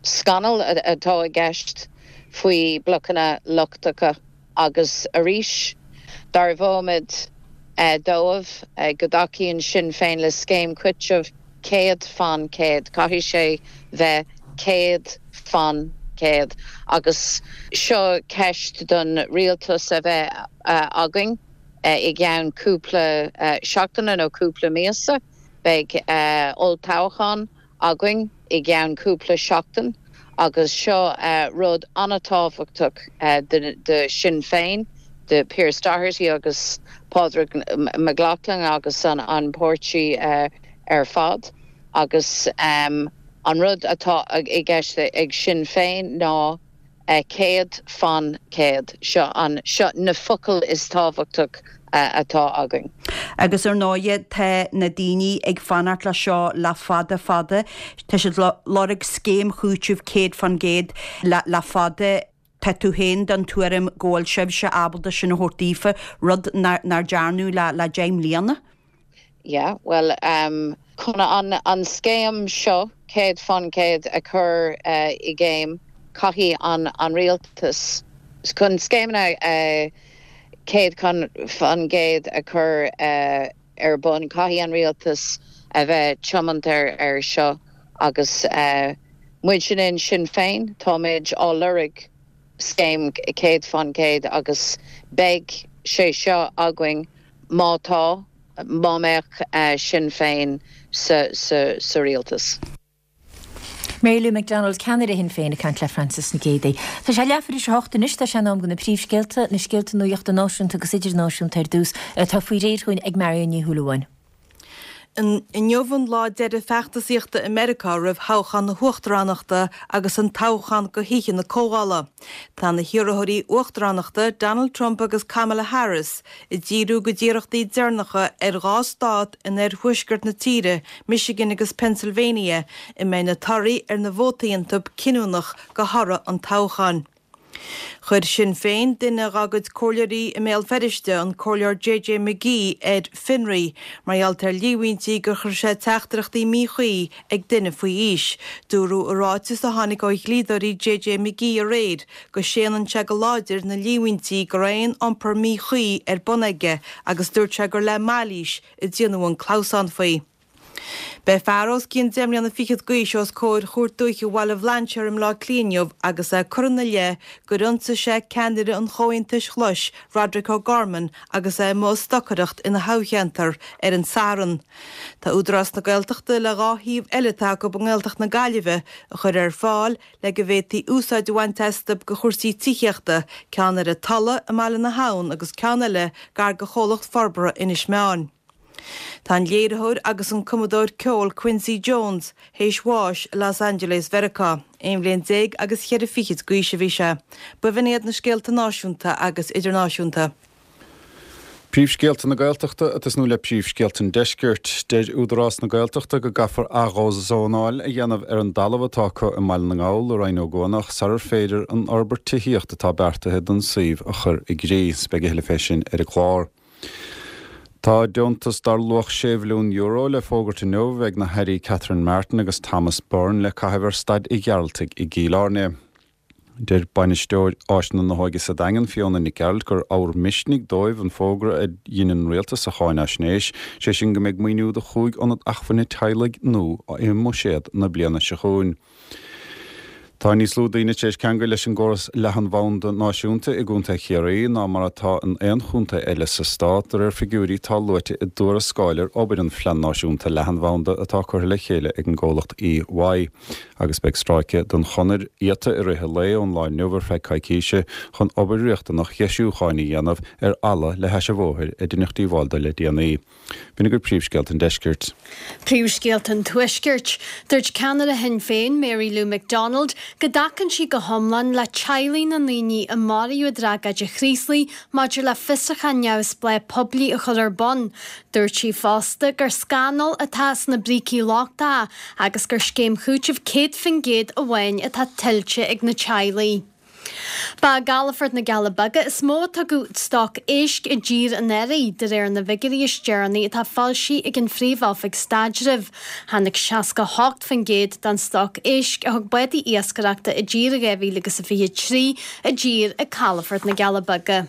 Scannal atá i gceist faoi blocanna lochtacha agus arís dearbhaímid dóibh go dtacaíonn Sinn Féin le scéim cúitimh céad fan céad. Caithfidh sé bheith céad fan céad agus seo ceist don rialtas a bheith againn i gceann cúpla seachtaine nó cúpla míosa. Beidh olltoghchán againn i gceann cúpla seachtain agus seo rud an-tábhachtach do Sinn Féin, do Pearse Doherty agus Pádraig MacLochlainn agus an páirtí ar fad. Agus an rud atá i gceist ag Sinn Féin ná céad fan céad. Seo an, seo na focail is tábhachtach atá againn. Agus ar ndóighe tá na daoine ag fanacht le seo le fada fada. Tá siad ag lorg scéim chúitimh céad fan gcéad le le fada. Tá tú féin den tuairim go bhfuil sibhse ábalta sin a thabhairt daofa, rud nár nár dearnadh le le deich mbliana? Yeah, bhuel, chun an an scéim seo céad fan céad a chur i gcéim, caithfidh an an rialtas, chun scéimeanna céad faoin gcéad a chur ar bun. Caithfidh an rialtas a bheith tiomanta ar seo agus muid sin in Sinn Féin, táimid á lorg scéim céad faoin gcéad agus beidh sé seo againn má tá, má mbeadh Sinn Féin sa sa rialtas. Mary Lou McDonald, ceannaire Shinn Féin ag caint le Francis Nic Géadaigh. Tá sé leathuair tar éis a hocht anois, tá sé in am do na príomhscéalta, na scéalta nuachta náisiúnta agus idirnáisiúnta ar dtús, atá faoi réir chugainn ag Marion Ní Shúilleabháin. Inniu an lá deiridh feachtasaíochta i Meiriceá roimh thoghchán na huachtaránachta agus an toghchán go hOíche na Comhdhála. Tá na hiarrthóirí uachtaránachta, Donald Trump agus Kamala Harris, ag díriú a gcuid iarrachtaí deireanacha ar dhá stát in oirthuaisceart na tíre, Michigan agus Pennsylvania, a mbeidh na torthaí ar na vótaí iontu cinniúnach do thoradh an toghcháin. Chuir Sinn Féin duine dá gcuid comhairleoirí i mBéal Feirste, an Comhairleoir JJ McGee, ar fionraí mar gheall ar líomhaintí gur chuir sé teachtaireachtaí míchuí ag duine faoi aois. Dúradh i ráiteas a tháinig ó dhlíodóirí JJ McGee aréir go séanann sé go láidir na líomhaintí go raibh aon iompar míchuí ar bun aige agus dúirt sé gur le mailís a déanadh an clamhsán faoi. Beidh fear os cionn deich mbliana fichead d'aois os comhair Chúirt Dúiche Bhaile Bhlainséir i mBleá Cliath inniu agus é curtha ina leith gur ionsaigh sé ceannaire an Chomhaontais Ghlais, Roderic O'Gorman, agus é amuigh ag stocaireacht ina thoghcheantar ar an Satharn. Tá Údarás na Gaeltachta le dhá shuíomh eile atá acu i nGaeltacht na Gaillimhe a chur ar fáil le go bhféadfaí úsáid a bhaint astu do chúrsaí tithíochta, ceann ar an Tulaigh i mBaile na hAbhann agus ceann eile gar do Chomhlacht Forbartha Inis Meáin. Tá an léiritheoir agus an cumadóir ceoil Quincy Jones théis bháis i Los Angeles Mheiriceá. Aon bhliain déag agus cheithre fichid d'aois a bhí sé. B'in iad na scéalta náisiúnta agus idirnáisiúnta. Príomhscéalta na Gaeltachta ag tosnú le príomhscéalta an Deiscirt. Deir Údarás na Gaeltachta go gcaithfear athdhózónáil a dhéanamh ar an dtalamh atá acu i mBaile na nGall i Rinn Ó gCuanach sarar féidir an fhorbairt tithíochta atá beartaithe don suíomh a chur i gcrích. Beidh a thuilleadh fé sin ar an gclár. Tá deontas dar luach sé mhilliún euro le fógairt inniu ag na hAirí Catherine Martin agus Thomas Byrne le caitheamh ar Staid Uí Ghearaltaigh i gCill Airne. Deir bainisteoir Áiseanna na hÓige sa Daingean, Fiona Nic Gearailt, gur ábhar misnigh dóibh an fógra a dhein an Rialtas sa cháinaisnéis, sé sin go mbeidh maoiniú do chúig ionad acmhainne teaghlaigh nua i mbuiséad na bliana seo chugainn. Tá níos lú daoine tar éis ceangal leis an gcóras leathanbhanda náisiúnta i gContae Chiarraí ná mar atá in aon chontae eile sa stát, de réir figiúirí atá luaite i dtuarascáil ar obair an Phlean Náisiúnta Leathanbhanda atá curtha le chéile ag an gcomhlacht EY. Agus beidh stráice den chonair iata i rith an lae ón lá inniu ar feadh coicíse chun obair riachtanach dheisiúcháin a dhéanamh ar fhalla le hais an bhóthair a deineadh díobháil dó le déanaí. B'in agaibh príomhscéalta an Deiscirt. Príomhscéalta an Tuaiscirt. Dúirt ceannaire Shinn Féin, Mary Lou McDonald, go dtacann sí go hiomlán le teaghlaigh na ndaoine a maraíodh i dtragóid an Chraoslaigh maidir le fiosrúchán neamhspleách poiblí a chur ar bun. Dúirt sí fosta gur scannal atá sna brící lochtacha agus gur scéim chúitimh céad faoin gcéad amháin atá tuillte ag na teaghlaigh. Ba i gcalafort na gCealla Beaga is mó a tugadh stoc éisc i dtír an earraigh, de réir na bhfigiúirí is deireanaí atá foilsithe ag an Phríomh-Oifig Staidrimh. Tháinig seasca a hocht faoin gcéad den stoc éisc a thug bádaí iascaireachta i dtír i dhá mhíle agus a fiche trí i dtír ag calafort na gCealla Beaga.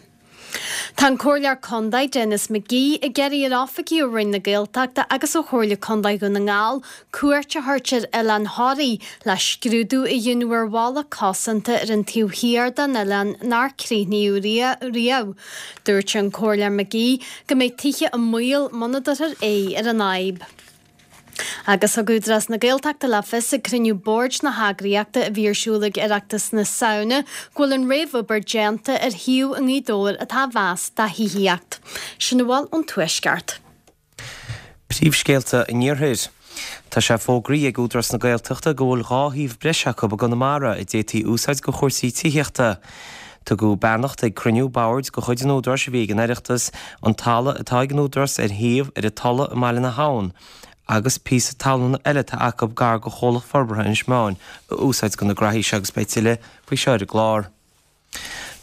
Tá an Comhairleoir Contae, Denis McGee, ag iarraidh ar oifigigh ó Roinn na Gaeltachta agus ó Chomhairle Contae Dhún na nGall cuairt a thabhairt ar Oileán Thoraí le scrúdú a dhéanamh ar bhalla cosanta ar an taobh thiar den oileán nár críochnaíodh riamh. Dúirt an Comhairleoir McGee go mbeidh tithe i mbaol muna dtabharfar aghaidh ar an fhadhb. Agus thug Údarás na Gaeltachta le fios ag cruinniú boird na heagraíochta a bhí ar siúl ag Oireachtas na Samhna go bhfuil an réamhobair déanta ar shuíomh i nGaoth Dobhair atá á mheas do thithíocht. Sin a bhfuil ón Tuaisceart. Príomhscéalta an Iarthair. Tá sé fógraithe ag Údarás na Gaeltachta go bhfuil dhá shuíomh breise acu i gConamara a d'fhéadfaí úsáid do chúrsaí tithíochta. Tugadh beannacht ag cruinniú boird de chuid an Údaráis a bhí ag an Oireachtas, an talamh atá ag an Údarás ar shuíomh ar an Tulaigh i mBaile na hAbhann agus píosa talún eile atá acu gar do Chomhlacht Forbartha Inis Meáin a úsáid do na graithí seo agus beidh tuilleadh faoi seo ar an gclár.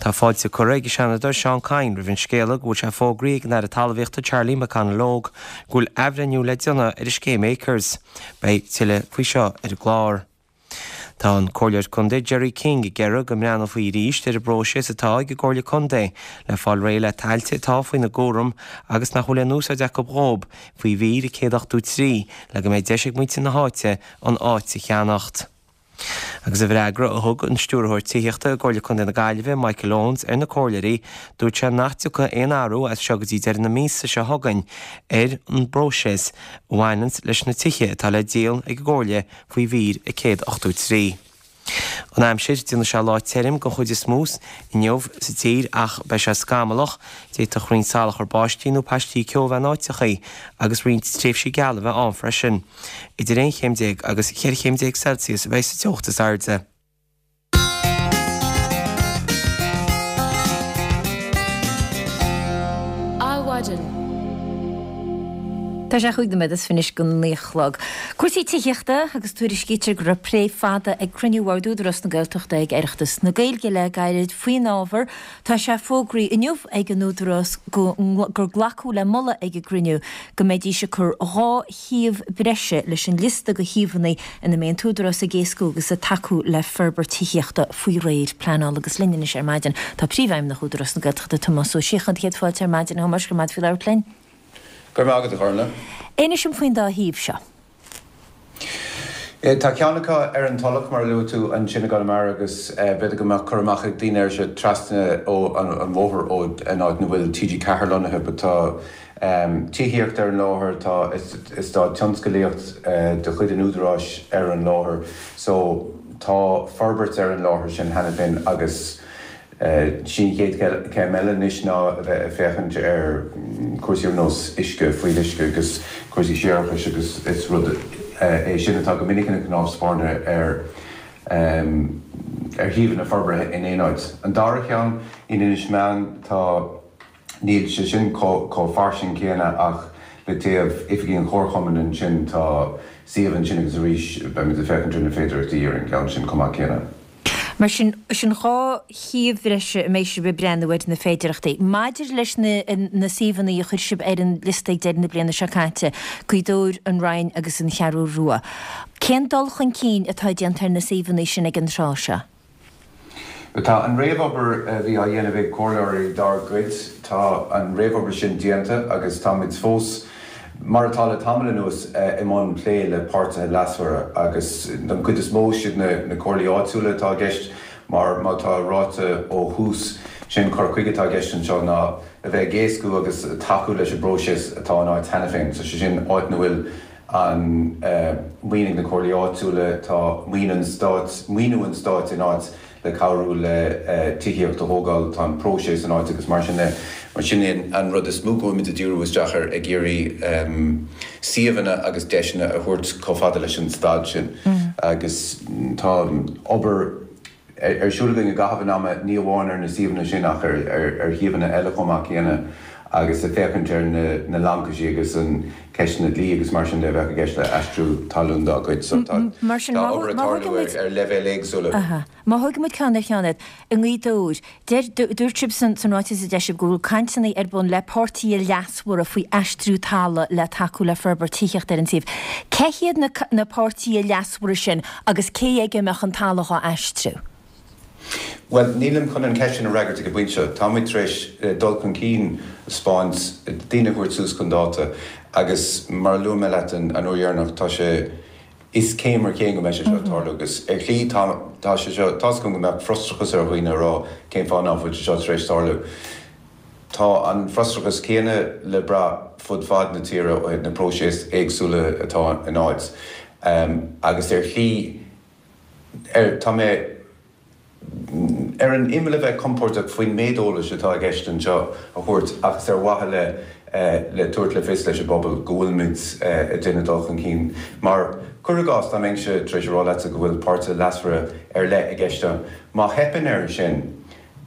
Tá fáilte curtha ag an Seanadóir Seán Kyne roimh an scéala go bhfuil sé fógraithe ag an Aire Talmhaíochta Charlie McConalogue go bhfuil athbhreithniú le déanamh ar an scéim Acres. Beidh tuilleadh faoi seo ar an gclár. Tá an Comhairleoir Contae Jerry King ag iarraidh go mbreathnófaí arís ar an bpróiseas atá ag an gComhairle Contae le fáil réidh le tailte atá faoina gcúram agus nach bhfuil aon úsáid acu dhóibh faoi mhír a céad ochtó trí le go mbeidh deis ag muintir na háite an áit a cheannacht. Agus i bhfreagra a thug an Stiúrthóir Tithíochta i gComhairle Contae na Gaillimhe, Michael Owens, ar na comhairleoirí, dúirt sé nach dtiocfaidh aon athrú as seo go dtí deireadh na míosa seo chugainn ar an bpróiseas a bhaineanns leis na tithe atá le díol ag an gComhairle faoi mhír a céad ochtó trí. An aimsir, déanfaidh sé lá tirim den chuid is mó inniu sa tír ach beidh sé scamallach, d'fhéadfadh roinnt salachar báistí nó paistí ceo a bheith in áiteachaí agus roinnt tréimhsí geala a bheith ann freisin. Idir aon chéim déag agus cheithre chéim déag Celsius a bheidh sa teocht is airde. Adhmhaidin. Tá sé chúig nóiméad is fiche anois go naoi a chlog. Cúrsaí tithíochta agus tuairiscítear go raibh plé fada ag cruinniú Bhord Údarás na Gaeltachta ag Oireachtas na Gaeilge le gairid faoin ábhar. Tá sé fógraithe inniu ag an Údarás gur glacadh le moladh ag an gcruinniú go mbeidís ag cur dhá shuíomh breise leis an liosta de shuíomhanna ina mbeidh an tÚdarás ag éascú agus ag tacú le forbairt tithíochta faoi réir pleanála agus linn anois ar maidin tá Príomhfheidhmeannach Údarás na Gaeltachta Tomás Ó Síocháin. Céad fáilte ar maidin a Thomáis, go raibh maith agat faoi labhairt linn. Go raibh maith agat, a Ghormfhlaith. Inis dom faoin dá shuíomh seo. Tá ceann acu ar an Tulach, mar a luaigh tú, ansin i gConamara agus b'fhéidir go mbeadh cur amach ag daoine air seo trasna ó an bhóthar ó an áit ina bhfuil T G ceathair lonnaithe but tá tithíocht ar an láthair, tá eastát tionscalaíocht de chuid an Údaráis ar an láthair so tá forbairt ar an láthair sin cheana féin agus Sí an chéad chéim eile anois ná a bheith ag féachaint ar chúrsaí ar nós uisce, fuíolluisce agus cúrsaí séarachais agus is rud é sin atá go minic ina chnámh spairne ar ar shuíomhanna forbartha in aon áit. An dara cheann, in Inis Meáin, tá, níl sé sin chomh fairsing céanna ach le taobh oifigí an Chomharchumainn ansin tá suíomh ansin agus arís beimid ag féachaint ar na féidearthachtaí ar an gceann sin chomh maith céanna. Mar sin, sin dhá shuíomh bhreise a mbeidh sibh ag breathnú ar na féidearthachtaí. Maidir leis na na suíomhanna a chuir sibh ar an liosta ag deireadh na bliana seo caite, Gaoth Dobhair, an Rinn agus an Cheathrú Rua, cén dul chun cinn atá déanta ar na suíomhanna sin ag an tráth seo? Tá an réamhobair a bhí á dhéanamh ag comhairleoirí dár gcuid, tá an réamhobair sin déanta agus táimid fós, mar atá le tamall anuas, i mbun plé le páirtithe leasmhara agus don chuid is mó siad na comhairlí áitiúla atá i gceist mar má tá ráite ó thús, sé'n cur chuige atá i gceist anseo ná a bheith ag éascú agus tacú leis an bpróiseas atá in áit cheana féin, so sé sin áit ina bhfuil an maoin ag na comhairlí áitiúla, tá maoin an stáit, maoiniú an stáit in áit le cabhrú le tithíocht a thógáil, tá an próiseas in áit agus mar sin de. Mar sin é an rud is mó go bhfuilimid ag díriú isteach air, ag iarraidh suíomhanna agus deiseanna a thabhairt chomh fada leis an staid sin agus tá obair ar siúl againn i gcaitheamh an ama, ní amháin ar na suíomhanna sin ach ar shuíomhanna eile chomh maith céanna agus ag féachaint ar na lancaisí agus an ceisteanna dlí agus mar sin de a bheadh i gceist le aistriú talún dá gcuid. So tá obair ag tarlú ar leibhéil éagsúla. Má thógann muid ceann ar cheann iad, i nGaoth Dobhair, deir, dúirt sibh san ráiteas a d'eisigh sibh go bhfuil cainteanna ar bun le páirtithe leasmhara faoi aistriú talaimh le tacú le forbairt tithíochta ar an suíomh. Cé hiad na na páirtithe leasmhara sin agus cé aige a mbeadh an talamh á aistriú? Bhuel, nílim chun an cheist sin a fhreagairt ag an bpointe seo. Táimid tar éis dul chun cinn a 'speáint, daoine a thabhairt suas chun dáta agus mar a luaigh mé leat an uair dheireanach, tá sé, is céim ar chéim go mbeidh sé seo ag tarlú agus ar shlí tá, tá sé seo, tá's agam go mbeadh frustrachas ar dhaoine a rá cén fáth ná fuil sé seo tar éis tarlú. Tá an frustrachas céanna le brath fud fad na tíre ó thaobh na próiseas éagsúla atá in áit agus ar shlí, ar, tá mé ar an imeall a bheith compordach faoin méid eolais atá i gceist anseo a thabhairt ach is ar mhaithe le le tabhairt le fios leis an bpobal go bhfuilimid ag déanamh dul chun cinn. Mar, cuir i gcás, dá mbeinnse tar éis a rá leatsa go bhfuil páirtithe leasmhara ar leith i gceist ann, má theipeann air sin,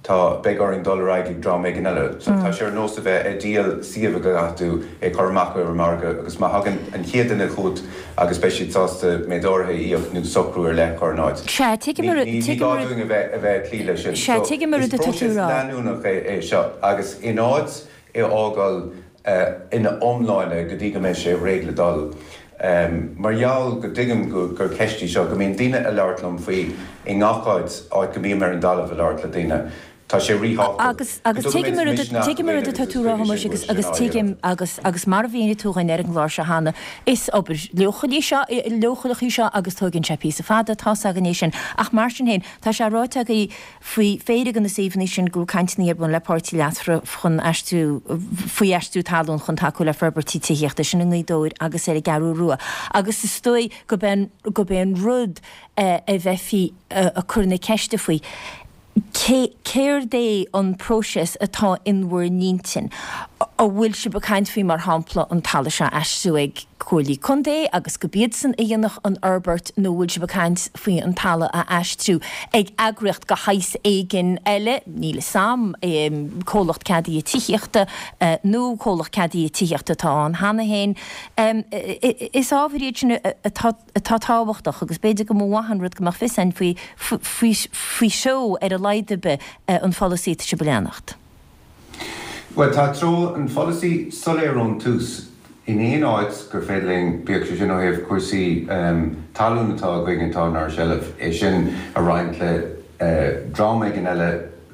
Tá, beidh orainn dul ar aghaidh ag dream éigin eile. So tá sé ar nós a bheith ag díol suíomh go gcaithfidh tú é chur amach ar an margadh agus má thagann an chéad duine chugat agus beidh siad sásta méid áirithe a íoc nó socrú ar leith a chur in áit. Sea, tuigim Ní, ní, ní gá dúinn a bheith, a bheith ag cloí leis sin. Sea, So tuigim an is rud atá tú a próiseas rá. leanúnach é, é seo agus in áit é a fhágáil ina iomláine go dtí go mbeidh sé réidh le dul, Mar gheall go dtuigim gur ceist í seo, go mbíonn daoine ag labhairt liom faoi i ngach áit, áit go mbím ar an dtalamh ag labhairt le daoine, tá sé ríthábhachtach Agus, agus tuigim an rud, tuigim an rud atá tú a rá, a Thomáis, agus, agus tuigim, agus, agus mar a mhínigh tú dhúinn ar an gclár seo cheana, is obair leochaileach í seo, leochaileach í seo agus tógann sé píosa fada, tá's againn é sin. Ach mar sin féin, tá sé ráite agaibh faoi phéire de na suíomhanna sin go bhfuil cainteanna ar bun le páirtí leasmhara chun aistriú, faoi aistriú talún chun tacú le forbairtí tithíochta, sin i nGaoth Dobhair agus ar an gCeathrú Rua. Agus is dóigh gurb é an, gurb é an rud a bheifí ag cur na ceiste faoi, Cé, céard é an próiseas atá in bhur n-intinn? An bhfuil sibh ag caint faoi, mar shampla, an talamh seo a aistriú ag comhairlí contae agus gurb iadsan a dhéanfadh an fhorbairt nó an bhfuil sibh ag caint faoi an talamh a aistriú ag eagraíocht de shaghas éigin eile, níl 'fhios a'm, comhlacht ceadaithe tithíochta nó comhlacht ceadaithe tithíochta atá ann cheana féin. Is ábhair iad sin atá atá tábhachtach agus b'fhéidir go mba mhaith an rud go mbeadh fios againn faoi faoi threo ar a laghad ar bith an pholasaí atá sibh a leanacht. Bhuel, tá treo an pholasaí soiléir ón tús. In aon áit gur féidir linn, bíodh sé sin ó thaobh cúrsaí talún atá againn atá inár seilbh, é sin a roinnt le dream éigin eile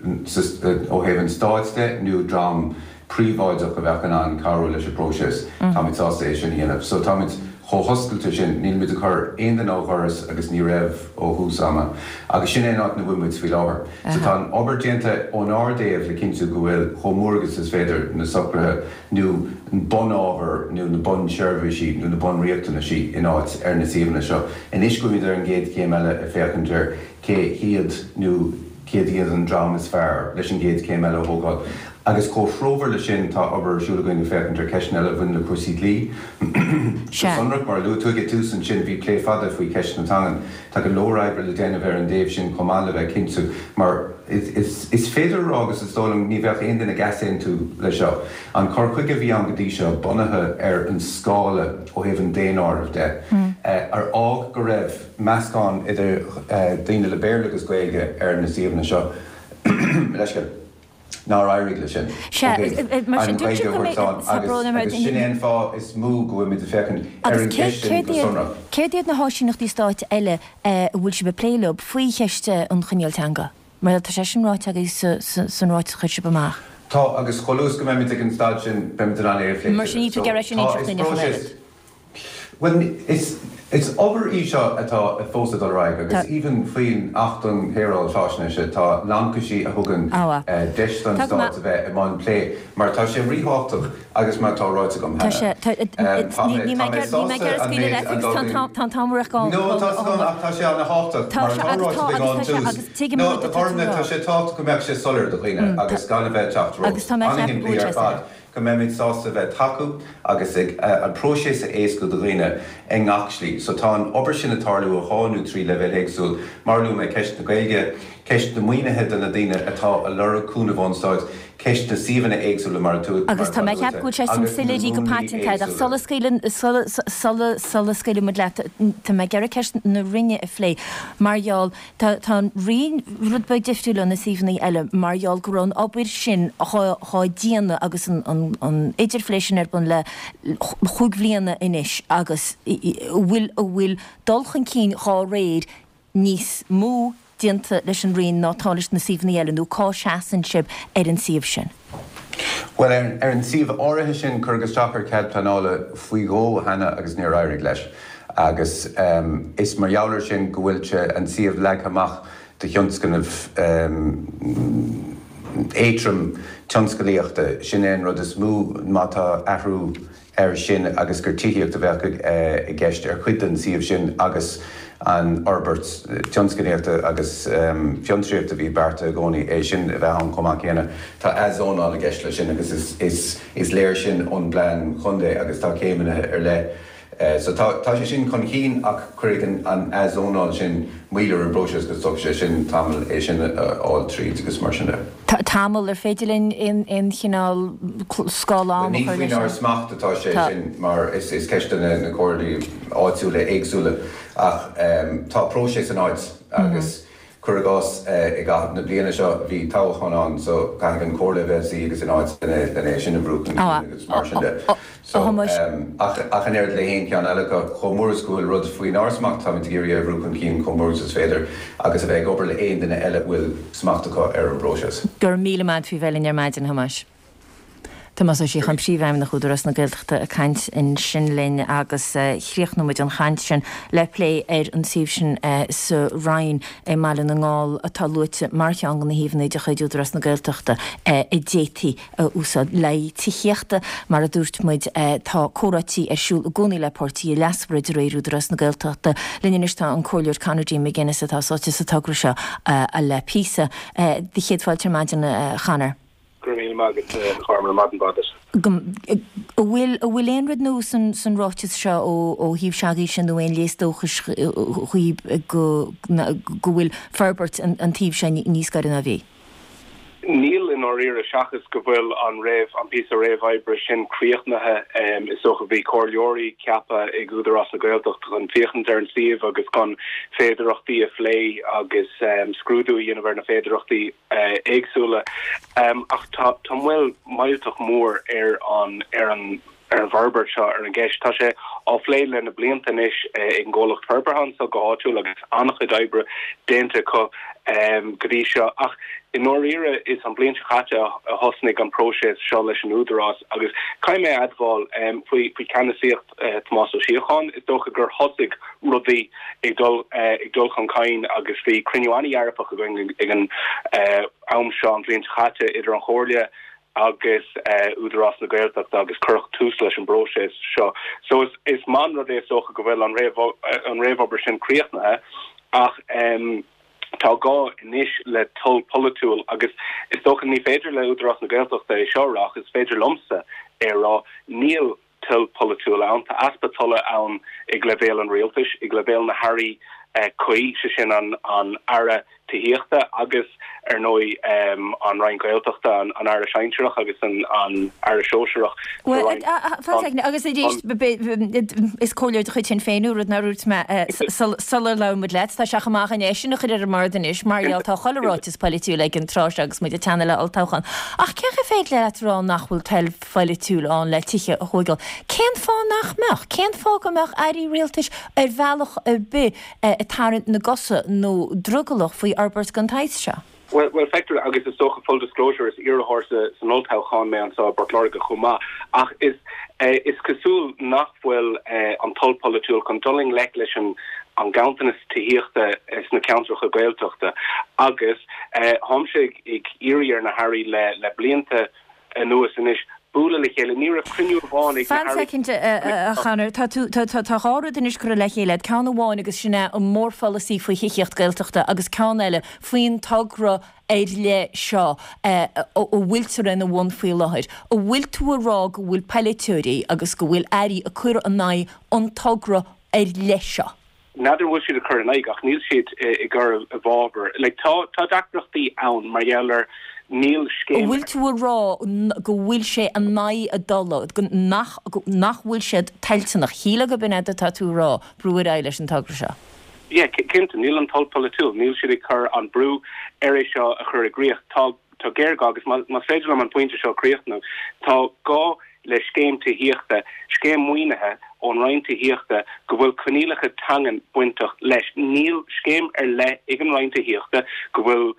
ó thaobh an stáit de nó dream príobháideach a bheadh in ann cabhrú leis an bpróiseas, táimid sásta é sin a dhéanamh. So táimid chomh hoscailte sin, nílimid ag cur aon duine ó dhoras agus ní raibh ó thús ama. Agus sin é an áit ina bhfuil muid faoi láthair. So tá an obair déanta ónár dtaobh le cinntiú go bhfuil chomh mór agus is féidir na socruithe nó an bunábhar nó na bunseirbhísí nó na bunriachtanaisí in áit ar na suíomhanna seo. Anois go bhfuilimid ar an gcéad chéim eile ag féachaint ar cé hiad nó céard iad an dream is fearr leis an gcéad chéim eile a thógáil. Agus comhthreomhar leis sin, tá obair ar siúl againn ag féachaint ar cheisteanna eile a bhaineann le cúrsaí dlí. Go sonrach, mar a luaigh tú ag an tús ansin, bhí plé fada faoi cheist na teangan. Tá go leor oibre le déanamh ar an dtaobh sin chomh maith le bheith cinnte, mar is féidir a rá, agus is dóigh liom ní bheadh aon duine ag easaontú leis seo, an cur chuige a bhí ann go dtí seo bunaithe ar an scála ó thaobh an daonáirimh de, ar fhág go raibh meascán idir daoine le Béarla agus Gaeilge ar na suíomhanna seo. Leithscéal. Nár éirigh leis sin ó thaobh an Ghaeilge a thabhairt slán agus sin é an fáth is mó go bhfuilimid ag féachaint ar an gceist sin go sonrach. Céard iad na háisíneachtaí stáit eile a bhfuil sibh ag plé leo faoi cheist an choinníoll teanga? Mar tá sé sin ráite agaibh san ráiteas a chuir sibh amach. Tá, agus chomh luath is go mbeimid ag an staid sin, beimid in ann é a phlé Mar sin níl tú ag iarraidh sin a inseacht dúinn ach an oiread. Bhuel, is is obair í seo atá fós ag dul ar aghaidh agus even faoin Acht um Shaoráil Faisnéise tá laincisí a thugann deis don Stát a bheith i mbun plé mar tá sé ríthábhachtach agus mar atá ráite agam cheana, tá mé tá mé sásta an méid an dul No, tá a fhios agam ach tá sé ana-thábhachtach mar atá ráite againn ón tús. No, a Ghormfhlaith, tá sé tábhachtach go mbeadh sé soiléir do dhaoine agus gan a bheith ag teacht romhat. An-shimplí ar fad. go mbeimid sásta bheith ag tacú agus ag an próiseas a éascú do dhaoine i ngach slí. So tá an obair sin ag tarlú ar dhá nó trí leibhéal éagsúil, mar a luaigh mé, ceist na Gaeilge, ceist na maoinithe do na daoine atá ag lorg cúnamh ón Stáit, ceist na suíomhanna éagsúla mar atá Agus tá mé ag ceapadh go bhfuil sé sin agus na soiléirithe go múnlaí paiteanta ach éagsúla. sula scaoileann, sula, sula, sula scaoileann muid leat, tá mé ag iarraidh ceist na Roinne a phlé mar gheall, Tá an Rinn rud beag difriúil ó na suíomhanna eile mar gheall go raibh an obair sin dhá déanamh agus an idirphlé sin ar bun le chúig bhliana anois agus a bhfuil a bhfuil dul chun cinn dhá réir níos mó déanta leis an Rinn ná atá leis na suíomhanna eile nó cá seasann sibh ar an suíomh sin? Bhuel, ar an suíomh áirithe sin, cuireadh isteach ar chead pleanála faoi dhó cheana agus níor éirigh leis. Agus is mar gheall air sin go bhfuil sé, an suíomh leagtha amach do thionscnamh éadrom tionscalaíochta. Sin é an rud is mó má tá athrú air sin agus gur tithíocht a bheadh i gceist ar chuid den suíomh sin agus an fhorbairt tionsclaíochta agus fiontraíochta a bhí beartaithe i gcónaí, é sin a bheith ann chomh maith céanna. Tá athzónáil i gceist leis sin agus is léir sin ón bplean chontae agus tá céimeanna ar leith. So tá tá sé sin chun cinn ach cuirfidh an athzónáil sin moill ar an bpróiseas agus tógfaidh sé sin tamall é sin a fháil tríd agus mar sin de. Tamall, ar féidir linn aon chineál scála ama a Ní chur leis faoinár sin? smacht atá sé Tá. sin mar is ceist do na comhairlí áitiúla éagsúla ach tá próiseas in áit agus cuir i gcás i gcaitheamh na bliana seo bhí toghchán ann so caithfidh an comhairle a bheith suí agus in áit lena é sin a bhrú chun cinn agus mar sin de. So, ach ach an oiread le haon cheann eile acu, chomh mór is go bhfuil rud faoinár smacht, táimid ag iarraidh é a bhrú chun cinn chomh mór is is féidir agus a bheith ag obair le haon duine eile a bhfuil smacht acu ar an bpróiseas. Go raibh míle maith agat faoi bheith linn ar maidin, a Thomáis. Tomás Ó Síocháin, Príomhfheidhmeannach Údarás na Gaeltachta ag caint ansin linn agus chríochnóidh muid an chaint sin le plé ar an suíomh sin sa Rinn i mBaile na nGall atá luaite mar cheann de na shuíomhanna de chuid Údarás na Gaeltachta a d'fhéadfaí a úsáid le haghaidh tithíochta. Mar a dúirt muid, tá comhráití ar siúl i gcónaí le páirtithe leasmhara de réir Údarás na Gaeltachta. Linn anois tá an Comhairleoir Conor D. McGuinness atá sáite sa togra seo le píosa. Do chéad fáilte ar maidin, a Chonor. Go raibh míle maith agat, a Ghormfhlaith, maidin mhaith duit. An bhfuil, an bhfuil aon rud nua san, san ráiteas seo ó, ó thaobh s'agaibhse nó aon léas dóchais dhaoib go, go bhfuil forbairt an, an tsuímh seo níos gaire ná bhí? Níl i ndáiríre, seachas go bhfuil an réamh, an píosa réamhoibre sin críochnaithe. Is dócha bhí comhairleoirí ceaptha ag Údarás na Gaeltachta chun féachaint ar an suíomh agus chun féidearthachtaí a phlé agus scrúdú a dhéanamh ar na féidearthachtaí éagsúla. Ach tá tá moill mhillteach mór ar an ar an ar an bhforbairt seo, ar an gceist. Tá sé á phlé le na blianta anois ag an gcomhlacht forbartha anseo go háitiúil agus an-chuid oibre déanta acu go dtí seo. Ach i ndáiríre is an bhliain seo caite a thosnaigh an próiseas seo leis an Údarás agus caithfidh mé a admháil faoi faoi cheannasaíocht Tomás Ó Síocháin, is dócha gur thosaigh rudaí ag dul ag dul chun cinn agus bhí cruinniú an-dhearfach againn ag an am seo an bhliain seo caite idir an Chomhairle agus Údarás na Gaeltachta agus cuireadh tús leis an bpróiseas seo. So is is maith an rud é is dócha go bhfuil an an réamhobair sin críochnaithe ach tá gá anois le toil polaitiúil agus is dócha ní féidir le Údarás na Gaeltachta é seo a rá ach is féidir liomsa é a rá, níl toil polaitiúil ann, tá easpa tola ann ag leibhéal an rialtais, ag leibhéal na hairí cuí, sé sin an an Aire Tithíochta agus, ar ndóigh, an Roinn Gaeltachta, an Aire Sinsearach agus an Aire Sóisearach sa Roinn. Fan soicind, agus arís, is comhairleoir de chuid Shinn Féin thú, rud nár dhúirt mé sular labhair muid leat. Tá sé chomh maith againn é sin a chur ar an mbord anois, mar gheall tá chuile ráiteas polaitiúil ag an tráth seo agus muid ag teannadh le olltoghchán. Ach cén chaoi féidir leat a rá nach bhfuil toil pholaitiúil ann le tithe a thóigeáil? Cén fáth nach mbeadh? Cén fáth go mbeadh airí rialtais ar bhealach ar bith ag tarraingt na gcosa nó drogallach faoi fhorbairt den tsaghas seo? Bhuel, bhuel, feictear, agus is dócha, full disclosure, is iarrthóir sa, san olltoghchán mé anseo i bPort Láirge chomh maith, ach is, is cosúil nach bhfuil an toil pholaitiúil chun dul i ngleic leis an, an ganntanas tithíochta sna ceantracha Gaeltachta agus táimse ag, ag iarraidh ar na hairí le, le blianta anuas anois bualadh le chéile. Ní raibh cruinniú amháin ag na Fan hairí. soicind, a Chonor. Tá tú, tá, tá, tá dhá rud anois curtha le chéile agat. Ceann amháin agus sin é an mórpholasaí faoi thithíocht Gaeltachta agus ceann eile faoin togra ar leith seo a bhfuiltear ina bhun faoi láthair. An bhfuil tú a rá go bhfuil polaiteoirí agus go bhfuil airí ag cur in aghaidh an togra ar leith seo? N'fheadar an bhfuil siad ag cur in aghaidh ach níl siad ag cur i bhfabhar. Like tá tá deacrachtaí ann mar gheall ar níl An scéim. bhfuil tú a rá go bhfuil sé in aghaidh a dtola, go nach nach bhfuil siad toilteanach, shílfeá gurb in é atá tú a rá, brú ar aghaidh leis an togra seo? Yeah, cinnte, níl an toil polaitiúil, níl siad ag cur an brú ar é seo a chur i gcrích. Tá tá géarghá agus má más féidir liom an pointe seo a chríochnú, tá gá le scéim tithíochta, scéim maoinithe ón Roinn Tithíochta go bhfuil coinníollacha teangan bainteach leis. Níl scéim ar leith ag an Roinn Tithíochta go bhfuil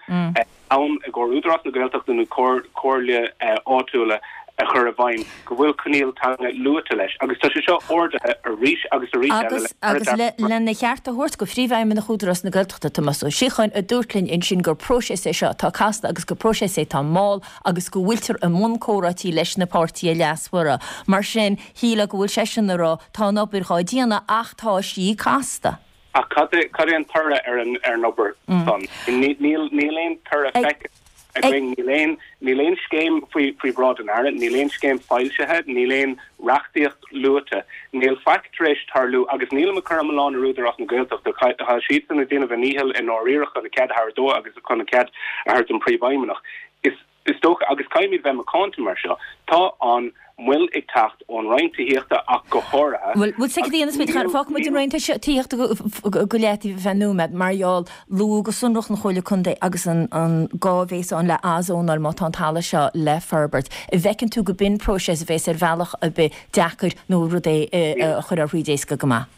ann i gcomhair Údarás na Gaeltachta nó comhairle áitiúla a chur i bhfeidhm go bhfuil coinníoll teanga luaite leis agus tá sé seo ardaithe arís agus arís eile Agus agus le lena cheart a thabhairt go Phríomhfheidhmeannach Údarás na Gaeltachta, Tomás Ó Síocháin, a dúirt linn ansin gur próiseas é seo atá casta agus gur próiseas é atá mall agus go bhfuiltear i mbun comhráití leis na páirtithe leasmhara. Mar sin, shílfeá go bhfuil seisean ag rá, tá an obair dhá déanamh ach tá sí casta. Ach cad é cad é an toradh ar an ar an obair san? Níl níl aon toradh feicthe againn, níl aon níl aon scéim faoi faoi bhráid an Aire, níl aon scéim foilsithe, níl aon reachtaíocht luaite, níl faic tar éis tarlú agus nílim ag cur an milleán ar Údarás na Gaeltachta, tá siadsan ag déanamh a ndícheall i ndáiríre chun a cead a thabhairt dó agus chun a cead a thabhairt don Phríomhfheidhmeannach. Is Is dócha, agus caithfimid bheith macánta mar seo, tá an mhoill ag teacht ón Roinn Tithíochta ach go háirithe. Bhuel, bhuel, soicind a dhéanamh, fágfaidh muid an Roinn Tithíochta go leataobh ar feadh nóiméad, mar gheall, luadh go sonrach an Chomhairle Contae agus an gá a bhéas ann le athzónáil má tá an talamh seo le forbairt. An bhfeiceann tú go b'in próiseas a bhéas ar bhealach ar bith deacair nó rud é a chuirfeá thríd éasca go maith?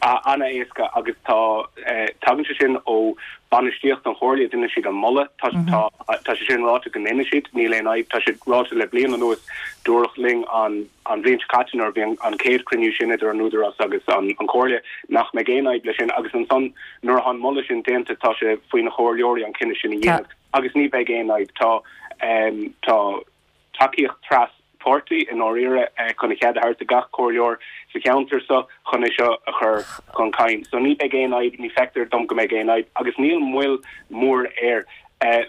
An-éasca agus tá, tagann sé sin ó bainistíocht an Chomhairle, déanann siad an moladh, tá tá sé sin ráite go ndéanfaidh siad, níl aon fhadhb, tá sé ráite le bliain anuas, dúradh linn an an bhliain seo caite nuair a bhí an chéad chruinniú sin idir an Údarás agus an Chomhairle nach mbeidh aon fhadhb leis sin agus ansan nuair atá an moladh sin déanta tá sé faoi na comhairleoirí an cinneadh sin a dhéanamh agus ní bheidh aon fhadhb, tá tá. tacaíocht tras páirtí i ndáiríre chun a chead a thabhairt do gach comhairleoir sa cheantar seo chun é seo a chur chun cinn. So ní beidh aon fhadhb, ní feictear dom go mbeidh aon fhadhb agus níl moill mhór air.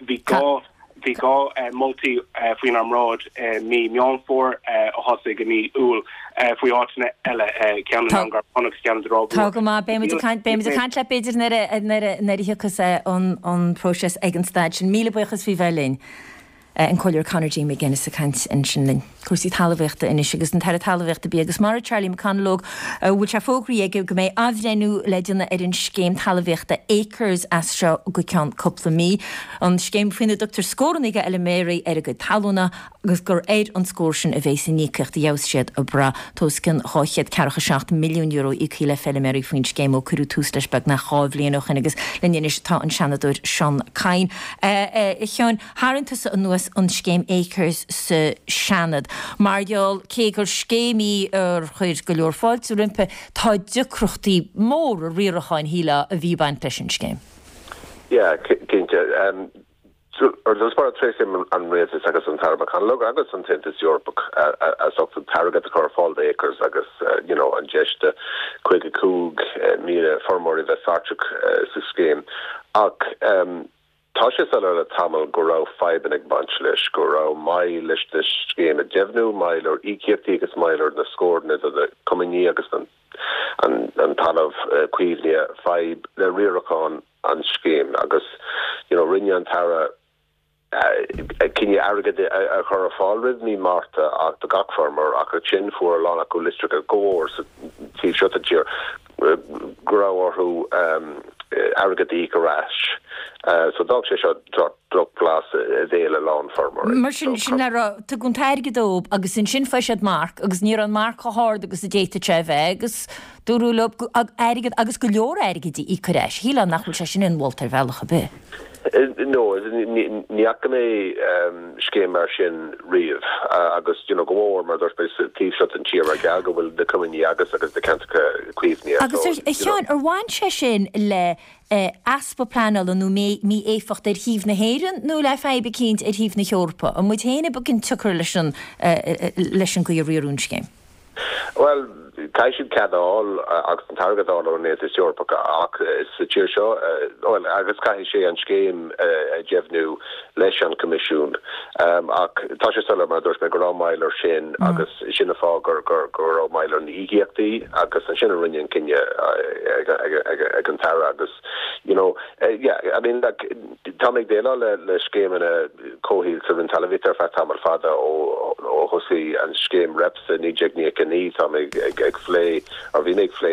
Bhí dhá bhí dhá moltaí faoinár mbráid mí Meán Fómhair a thosaigh i mí Iúil faoi áiteanna eile, ceann i nDún Garbhán agus ceann i dTrá Mhór. Tá go maith. Beidh muid ag caint beidh muid ag caint leat b'fhéidir nuair a nuair a nuair a thiocfas an an próiseas ag an staid sin. Míle buíochas faoi bheith linn. An Comhairleoir Conor J McGuinness ag caint ansin linn. Cúrsaí talmhaíochta anois agus an tAire Talmhaíochta, Bia agus Mara, Charlie McConalogue, a bhfuil sé fógraithe aige go mbeidh athbhreithniú le déanamh ar an scéim talmhaíochta Acres as seo go ceann cúpla mí. An scéim faoina dtugtar scóranna do fheilméaraí ar a gcuid talúna agus gur ar an scór sin a bhéas an íocaíocht a gheobhas siad ag brath. Tá os cionn dhá chéad ceathracha seacht milliún euro íoctha le feilméaraí faoin scéim ó cuireadh tús leis beagnach dhá bhliain ó shin agus linn anois tá an Seanadóir Seán Kyne. A Sheáin, tharraing tusa anuas an scéim Acres sa Seanad. Mar gheall, cé gur scéim í ar chuir go leor fáilte roimpi, tá deacrachtaí móra riaracháin, shílfeá, a bhí ag baint leis an scéim. Yeah, cinnte. Ar dtús báire, tréaslaím an Rialtas agus an tAire McConalogue agus an tAontas Eorpach as ucht an t-airgead a chur ar fáil d'Acres agus you know an deis do caoga cúig míle feirmeoirí bheith páirteach sa scéim. Ach Tá sé soiléir le tamall go raibh fadhbanna ag baint leis, go raibh moill leis na scéim a deimhniú, moill ar íocaíochtaí agus moill ar na scóranna do na coimíní agus an talamh caomhnaithe, fadhb le riarachán an scéim agus you know rinne an tAire cinneadh airgead a chur ar fáil roimh mí Márta ach do gach feirmeoir ach ansin fuair a lán acu litreacha go mór sa taobh seo den tír go raibh orthu airgead a íoc ar ais. So d'fhág sé seo drochbhlas i mbéal a lán feirmeoirí. Mar sin, sin le rá, tugadh an t-airgead dóibh agus ansin fuair siad marc agus ní raibh an marc chomh hard agus a d'fhéadfadh sé a bheith agus dúradh leo airgead agus go leor airgid a íoc ar ais. Shílfeá nach bhfuil sé sin inmholta ar bhealach ar bith. No, ní fhaca mé scéim mar sin riamh agus you know go mór mar dúirt mé sa taobh seo den tír mar gheall go bhfuil na coimíní agat agus na ceantracha caomhnaithe. Agus a Sheáin, ar bhain sé sin le easpa pleanála nó mí-éifeacht ar thaobh na hÉireann nó le fadhb eicínt ar thaobh na hEorpa? An muid féin ab an tsiocair leis an leis an gcaoi a riaradh an scéim? Bhuel, caithfidh siad cead a fháil agus an t-airgead a fháil ón Aontas Eorpach ach sa tír seo, bhuel, agus caithfidh sé an scéim a dheimhniú leis an Coimisiún. Ach tá sé soiléir, mar a dúirt mé, go raibh moill air sin agus sin an fáth go raibh moill ar na híocaíochtaí agus ansin a rinneadh an cinneadh ag an tAire agus, you know, yeah, I mean, like, tá mé ag déileáil le scéimeanna comhshaoil sa Roinn Talmhaíochta ar feadh tamall fada ó thosaigh an scéim REPS i naoi déag naocha a naoi. Tá mé ag phlé, or bhí mé ag phlé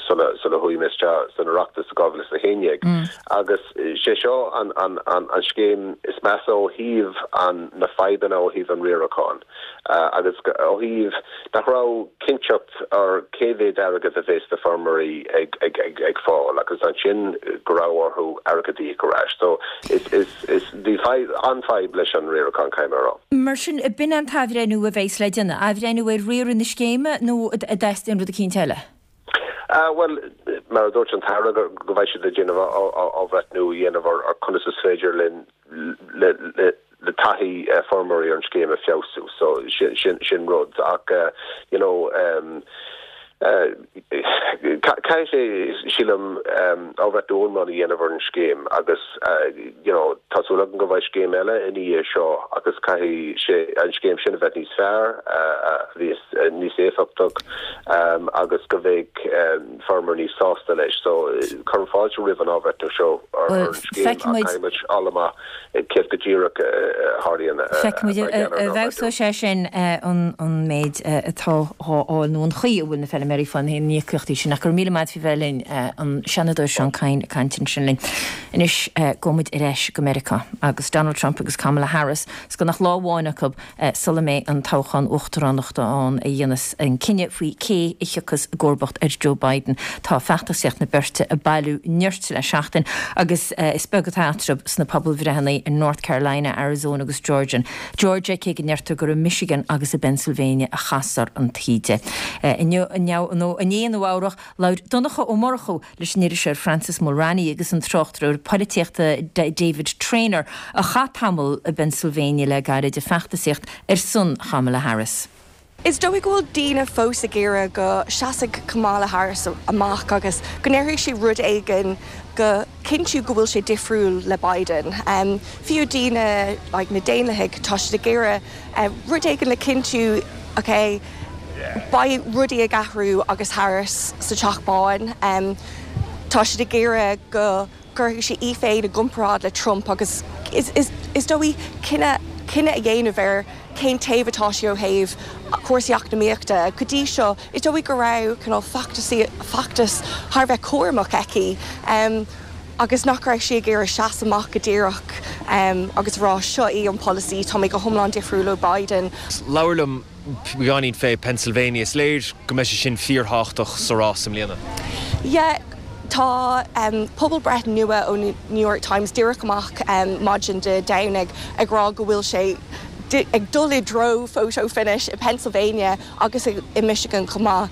sula sula chuaigh mé isteach san Oireachtas i dhá mhíle is a haon déag agus sé seo an an an an scéim is measa ó thaobh an na fadhbanna ó thaobh an riaracháin agus ó thaobh nach raibh cinnteacht ar cé mhéad airgead a bheas na feirmeoirí ag ag ag ag fáil agus ansin go raibh orthu airgead a íoc ar ais. So is is is bhí fadhb an-fhadhb leis an riarachán caithfidh mé a rá. Mar sin, b'in an t-athbhreithniú a bheas le déanamh, athbhreithniú ar riaradh na scéime nó an dteastaíonn rud eicínt eile? Bhuel, mar a dúirt an tAire go go mbeidh siad ag déanamh athbhreithniú a dhéanamh ar ar conas is féidir linn le le le taithí feirmeoirí ar an scéim a feabhsú. So sin sin sin rud ach you know Caithfidh sé, sílim, athbhreithniú iomlán a dhéanamh ar an scéim agus you know tá súil agam go mbeidh scéim eile ina dhiaidh seo agus caithfidh sé an scéim sin a bheith níos fearr, a bheith níos éifeachtach agus go mbeidh feirmeoirí níos sásta leis. So cuirim fáilte roimh an athbhreithniú seo ar an scéim ach caithfidh muid fháil amach céard go díreach a tharlaíonn. Feicfimid an bhfeabhsóidh sé sin an méid atá á fháil nó an chaoi a bhfuil na feilméaraí ag fáil na híocaíochtaí sin. Ach go raibh míle maith faoi bheith linn, an Seanadóir Seán Kyne ag caint ansin linn. Anois gabhfaidh muid ar ais go Meiriceá agus Donald Trump agus Kamala Harris is gan ach lá amháin acu sula mbeidh an toghchán uachtaránachta ann a dhéanfas an cinneadh faoi cé a thiocfas i gcomharbacht ar Joe Biden. Tá feachtasaíocht na beirte ag bailiú nirt le seachtain agus is beag atá eatarthu sna pobalbhreitheanna in North Carolina, Arizona agus Georgia, Georgia cé go ndeirtear gur i Michigan agus i bPennsylvania a chasfar an taoide. Inniu nó inné i Nua Eabhrac, labhair Donncha Ó Murchú leis an iriseoir Francis Mulraney agus an tráchtaire polaitíochta David Traynor a chaith tamall i bPennsylvania le gairid ag feachtasaíocht ar son Kamala Harris. Is dóigh go bhfuil daoine fós ag iarraidh go seasfaidh Kamala Harris amach agus go ndéarfaidh sí rud éigin go cinntiú go bhfuil sé difriúil le Biden. Fiú daoine like na Daonlathaigh, tá siad ag iarraidh rud éigin le cinntiú ok, beidh rudaí ag athrú agus Harris sa Teach Bán. Tá siad ag iarraidh go gcuirfidh sí í féin i gcomparáid le Trump agus is dóigh cinneadh cinneadh a dhéanamh ar cén taobh atá sí ó thaobh cúrsaí eacnamaíochta. Go dtí seo, is dóigh go raibh cineál feachtas thar a bheith cúramach aici agus nach raibh sí ag iarraidh seasamh amach go díreach agus rá seo í an polasaí, tá mé go hiomlán difriúil ó Biden. Labhair liom beagáinín fé Pennsylvania. Is léir go mbeidh sé sin fíorthábhachtach sa rás i mbliana. Yeah, tá pobalbhreith nua ó New York Times díreach amach maidin Dé Domhnaigh ag rá go bhfuil sé ag dul i dtreo photo finish i Pennsylvania agus i Michigan chomh maith.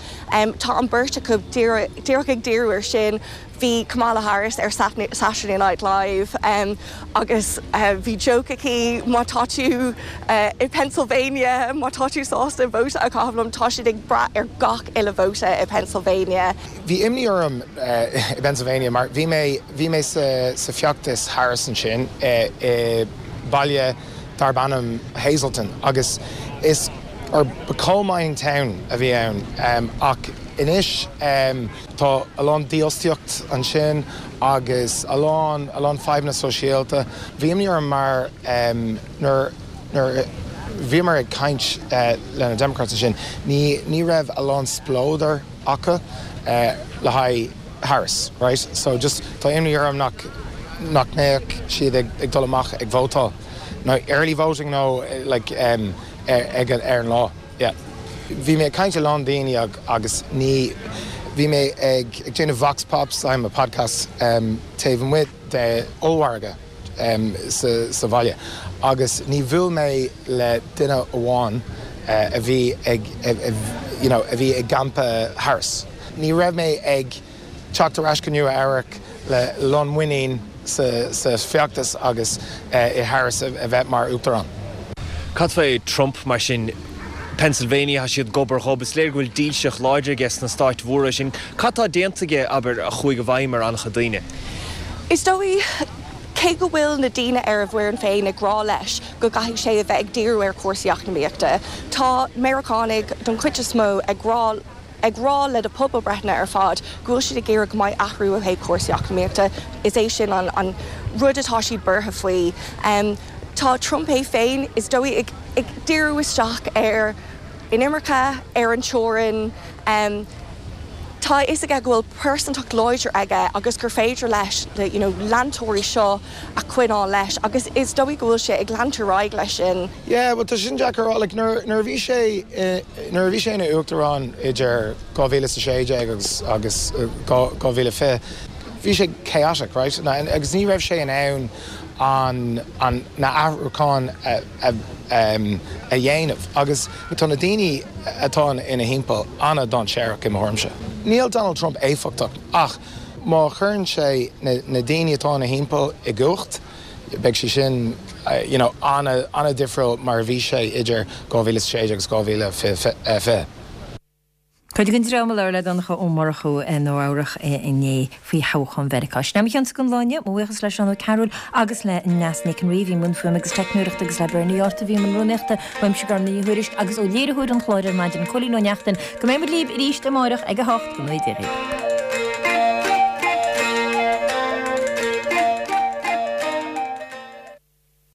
Tá an beirt acu díreach ag díriú ar sin. Bhí Kamala Harris ar Saturday Night Live agus bhí joke aici má tá tú i Pennsylvania, má tá tú sásta vóta a chaitheamh liom, tá siad ag brath ar gach uile vóta i Pennsylvania. Bhí imní orm i Pennsylvania mar bhí mé bhí mé sa sa feachtas Harris ansin i baile darb ainm Hazleton agus is or ba coal mining town a bhí ann ach anois tá a lán dífhostaíocht ansin agus a lán a lán fadhbanna sóisialta. Bhí imní orm mar nuair nuair bhíomar ag caint le na Democrats ansin ní ní raibh a lán spleodar acu le haghaidh Harris, right? So just tá imní orm nach nach mbeadh siad ag ag dul amach ag vótáil nó early voting nó like ag ar an lá. Yeah. Bhí mé ag caint le lán daoine agus ní bhí mé ag ag déanamh vox pops I'm a podcast um, taobh amuigh de ollmhargadh um, sa, sa bhaile agus ní bhuail mé le duine amháin uh, a bhí ag you know, a bhí i gcampa Harris. Ní raibh mé ag teacht ar ais go Nua Eabhrac le lán muinín sa, sa feachtas agus uh, i Harris a, a bheith mar uachtarán. Cad fé Trump mar sin Pennsylvania tá siad gobar dhob is léir go bhfuil dílseacht láidir aige sna stáit mhóra sin. Cad tá déanta aige abair a chuaigh i bhfeidhm ar an-chuid daoine. Is dóigh cé go bhfuil na daoine ar a bhfoireann féin ag rá leis go gcaithfidh sé a bheith ag díriú ar chúrsaí eacnamaíochta. Tá Meiriceánaigh don chuid is mó ag rá ag rá le na pobalbhreitheanna ar fad go bhfuil siad ag iarraidh go mbeidh athrú ó thaobh cúrsaí eacnamaíochta. Is é sin an, an rud atá siad buartha faoi. Um, tá Trump é féin is dóigh ag, ag díriú isteach ar inimirce ar an teorainn. Um, Tá is aige go bhfuil pearsantacht láidir aige agus gur féidir leis le you know, leantóirí seo a choinneáil leis agus is dóigh go bhfuil sé ag leanúint ar aghaidh leis sin. Yeah, well tá sin deacair like, nuair nuair a bhí sé nuair a bhí sé ina uachtarán idir dhá mhíle is a sé déag agus agus dhá mhíle fiche bhí sé chaotic, right? Na, agus ní raibh sé in ann an, an na athrúcháin a, a, um, a dhéanamh agus tá na daoine atá ina thimpeall an-dainséarach i mo thuairimse. Níl Donald Trump éifeachtach ach má chuireann sé na, na daoine atá ina thimpeall i gcumhacht, beidh sé sin uh, you know, an-difriúil mar a bhí sé idir dhá mhíle sé agus dhá mhíle fiche. Cuid den dream a labhair le Donncha Ó Murchú i Nua Eabhrach inné faoi thoghchán Mheiriceá. Sin é mo chionsa don lá inniu, mo bhuíochas le Seán Ó Cearúil agus le Neasa Nic an Rí a bhí i mbun fuaime agus teicneoireachta agus le Bernie Arthur a bhí i mbun rúnaíochta, uaimse Gormfhlaith Ní Thuairisg agus ó léiritheoir an chláir ar maidin, Cóilín Ó Neachtain. Go mbeidh muid libh arís amárach ag a hocht, go ngnóthaí Dia dhaoibh.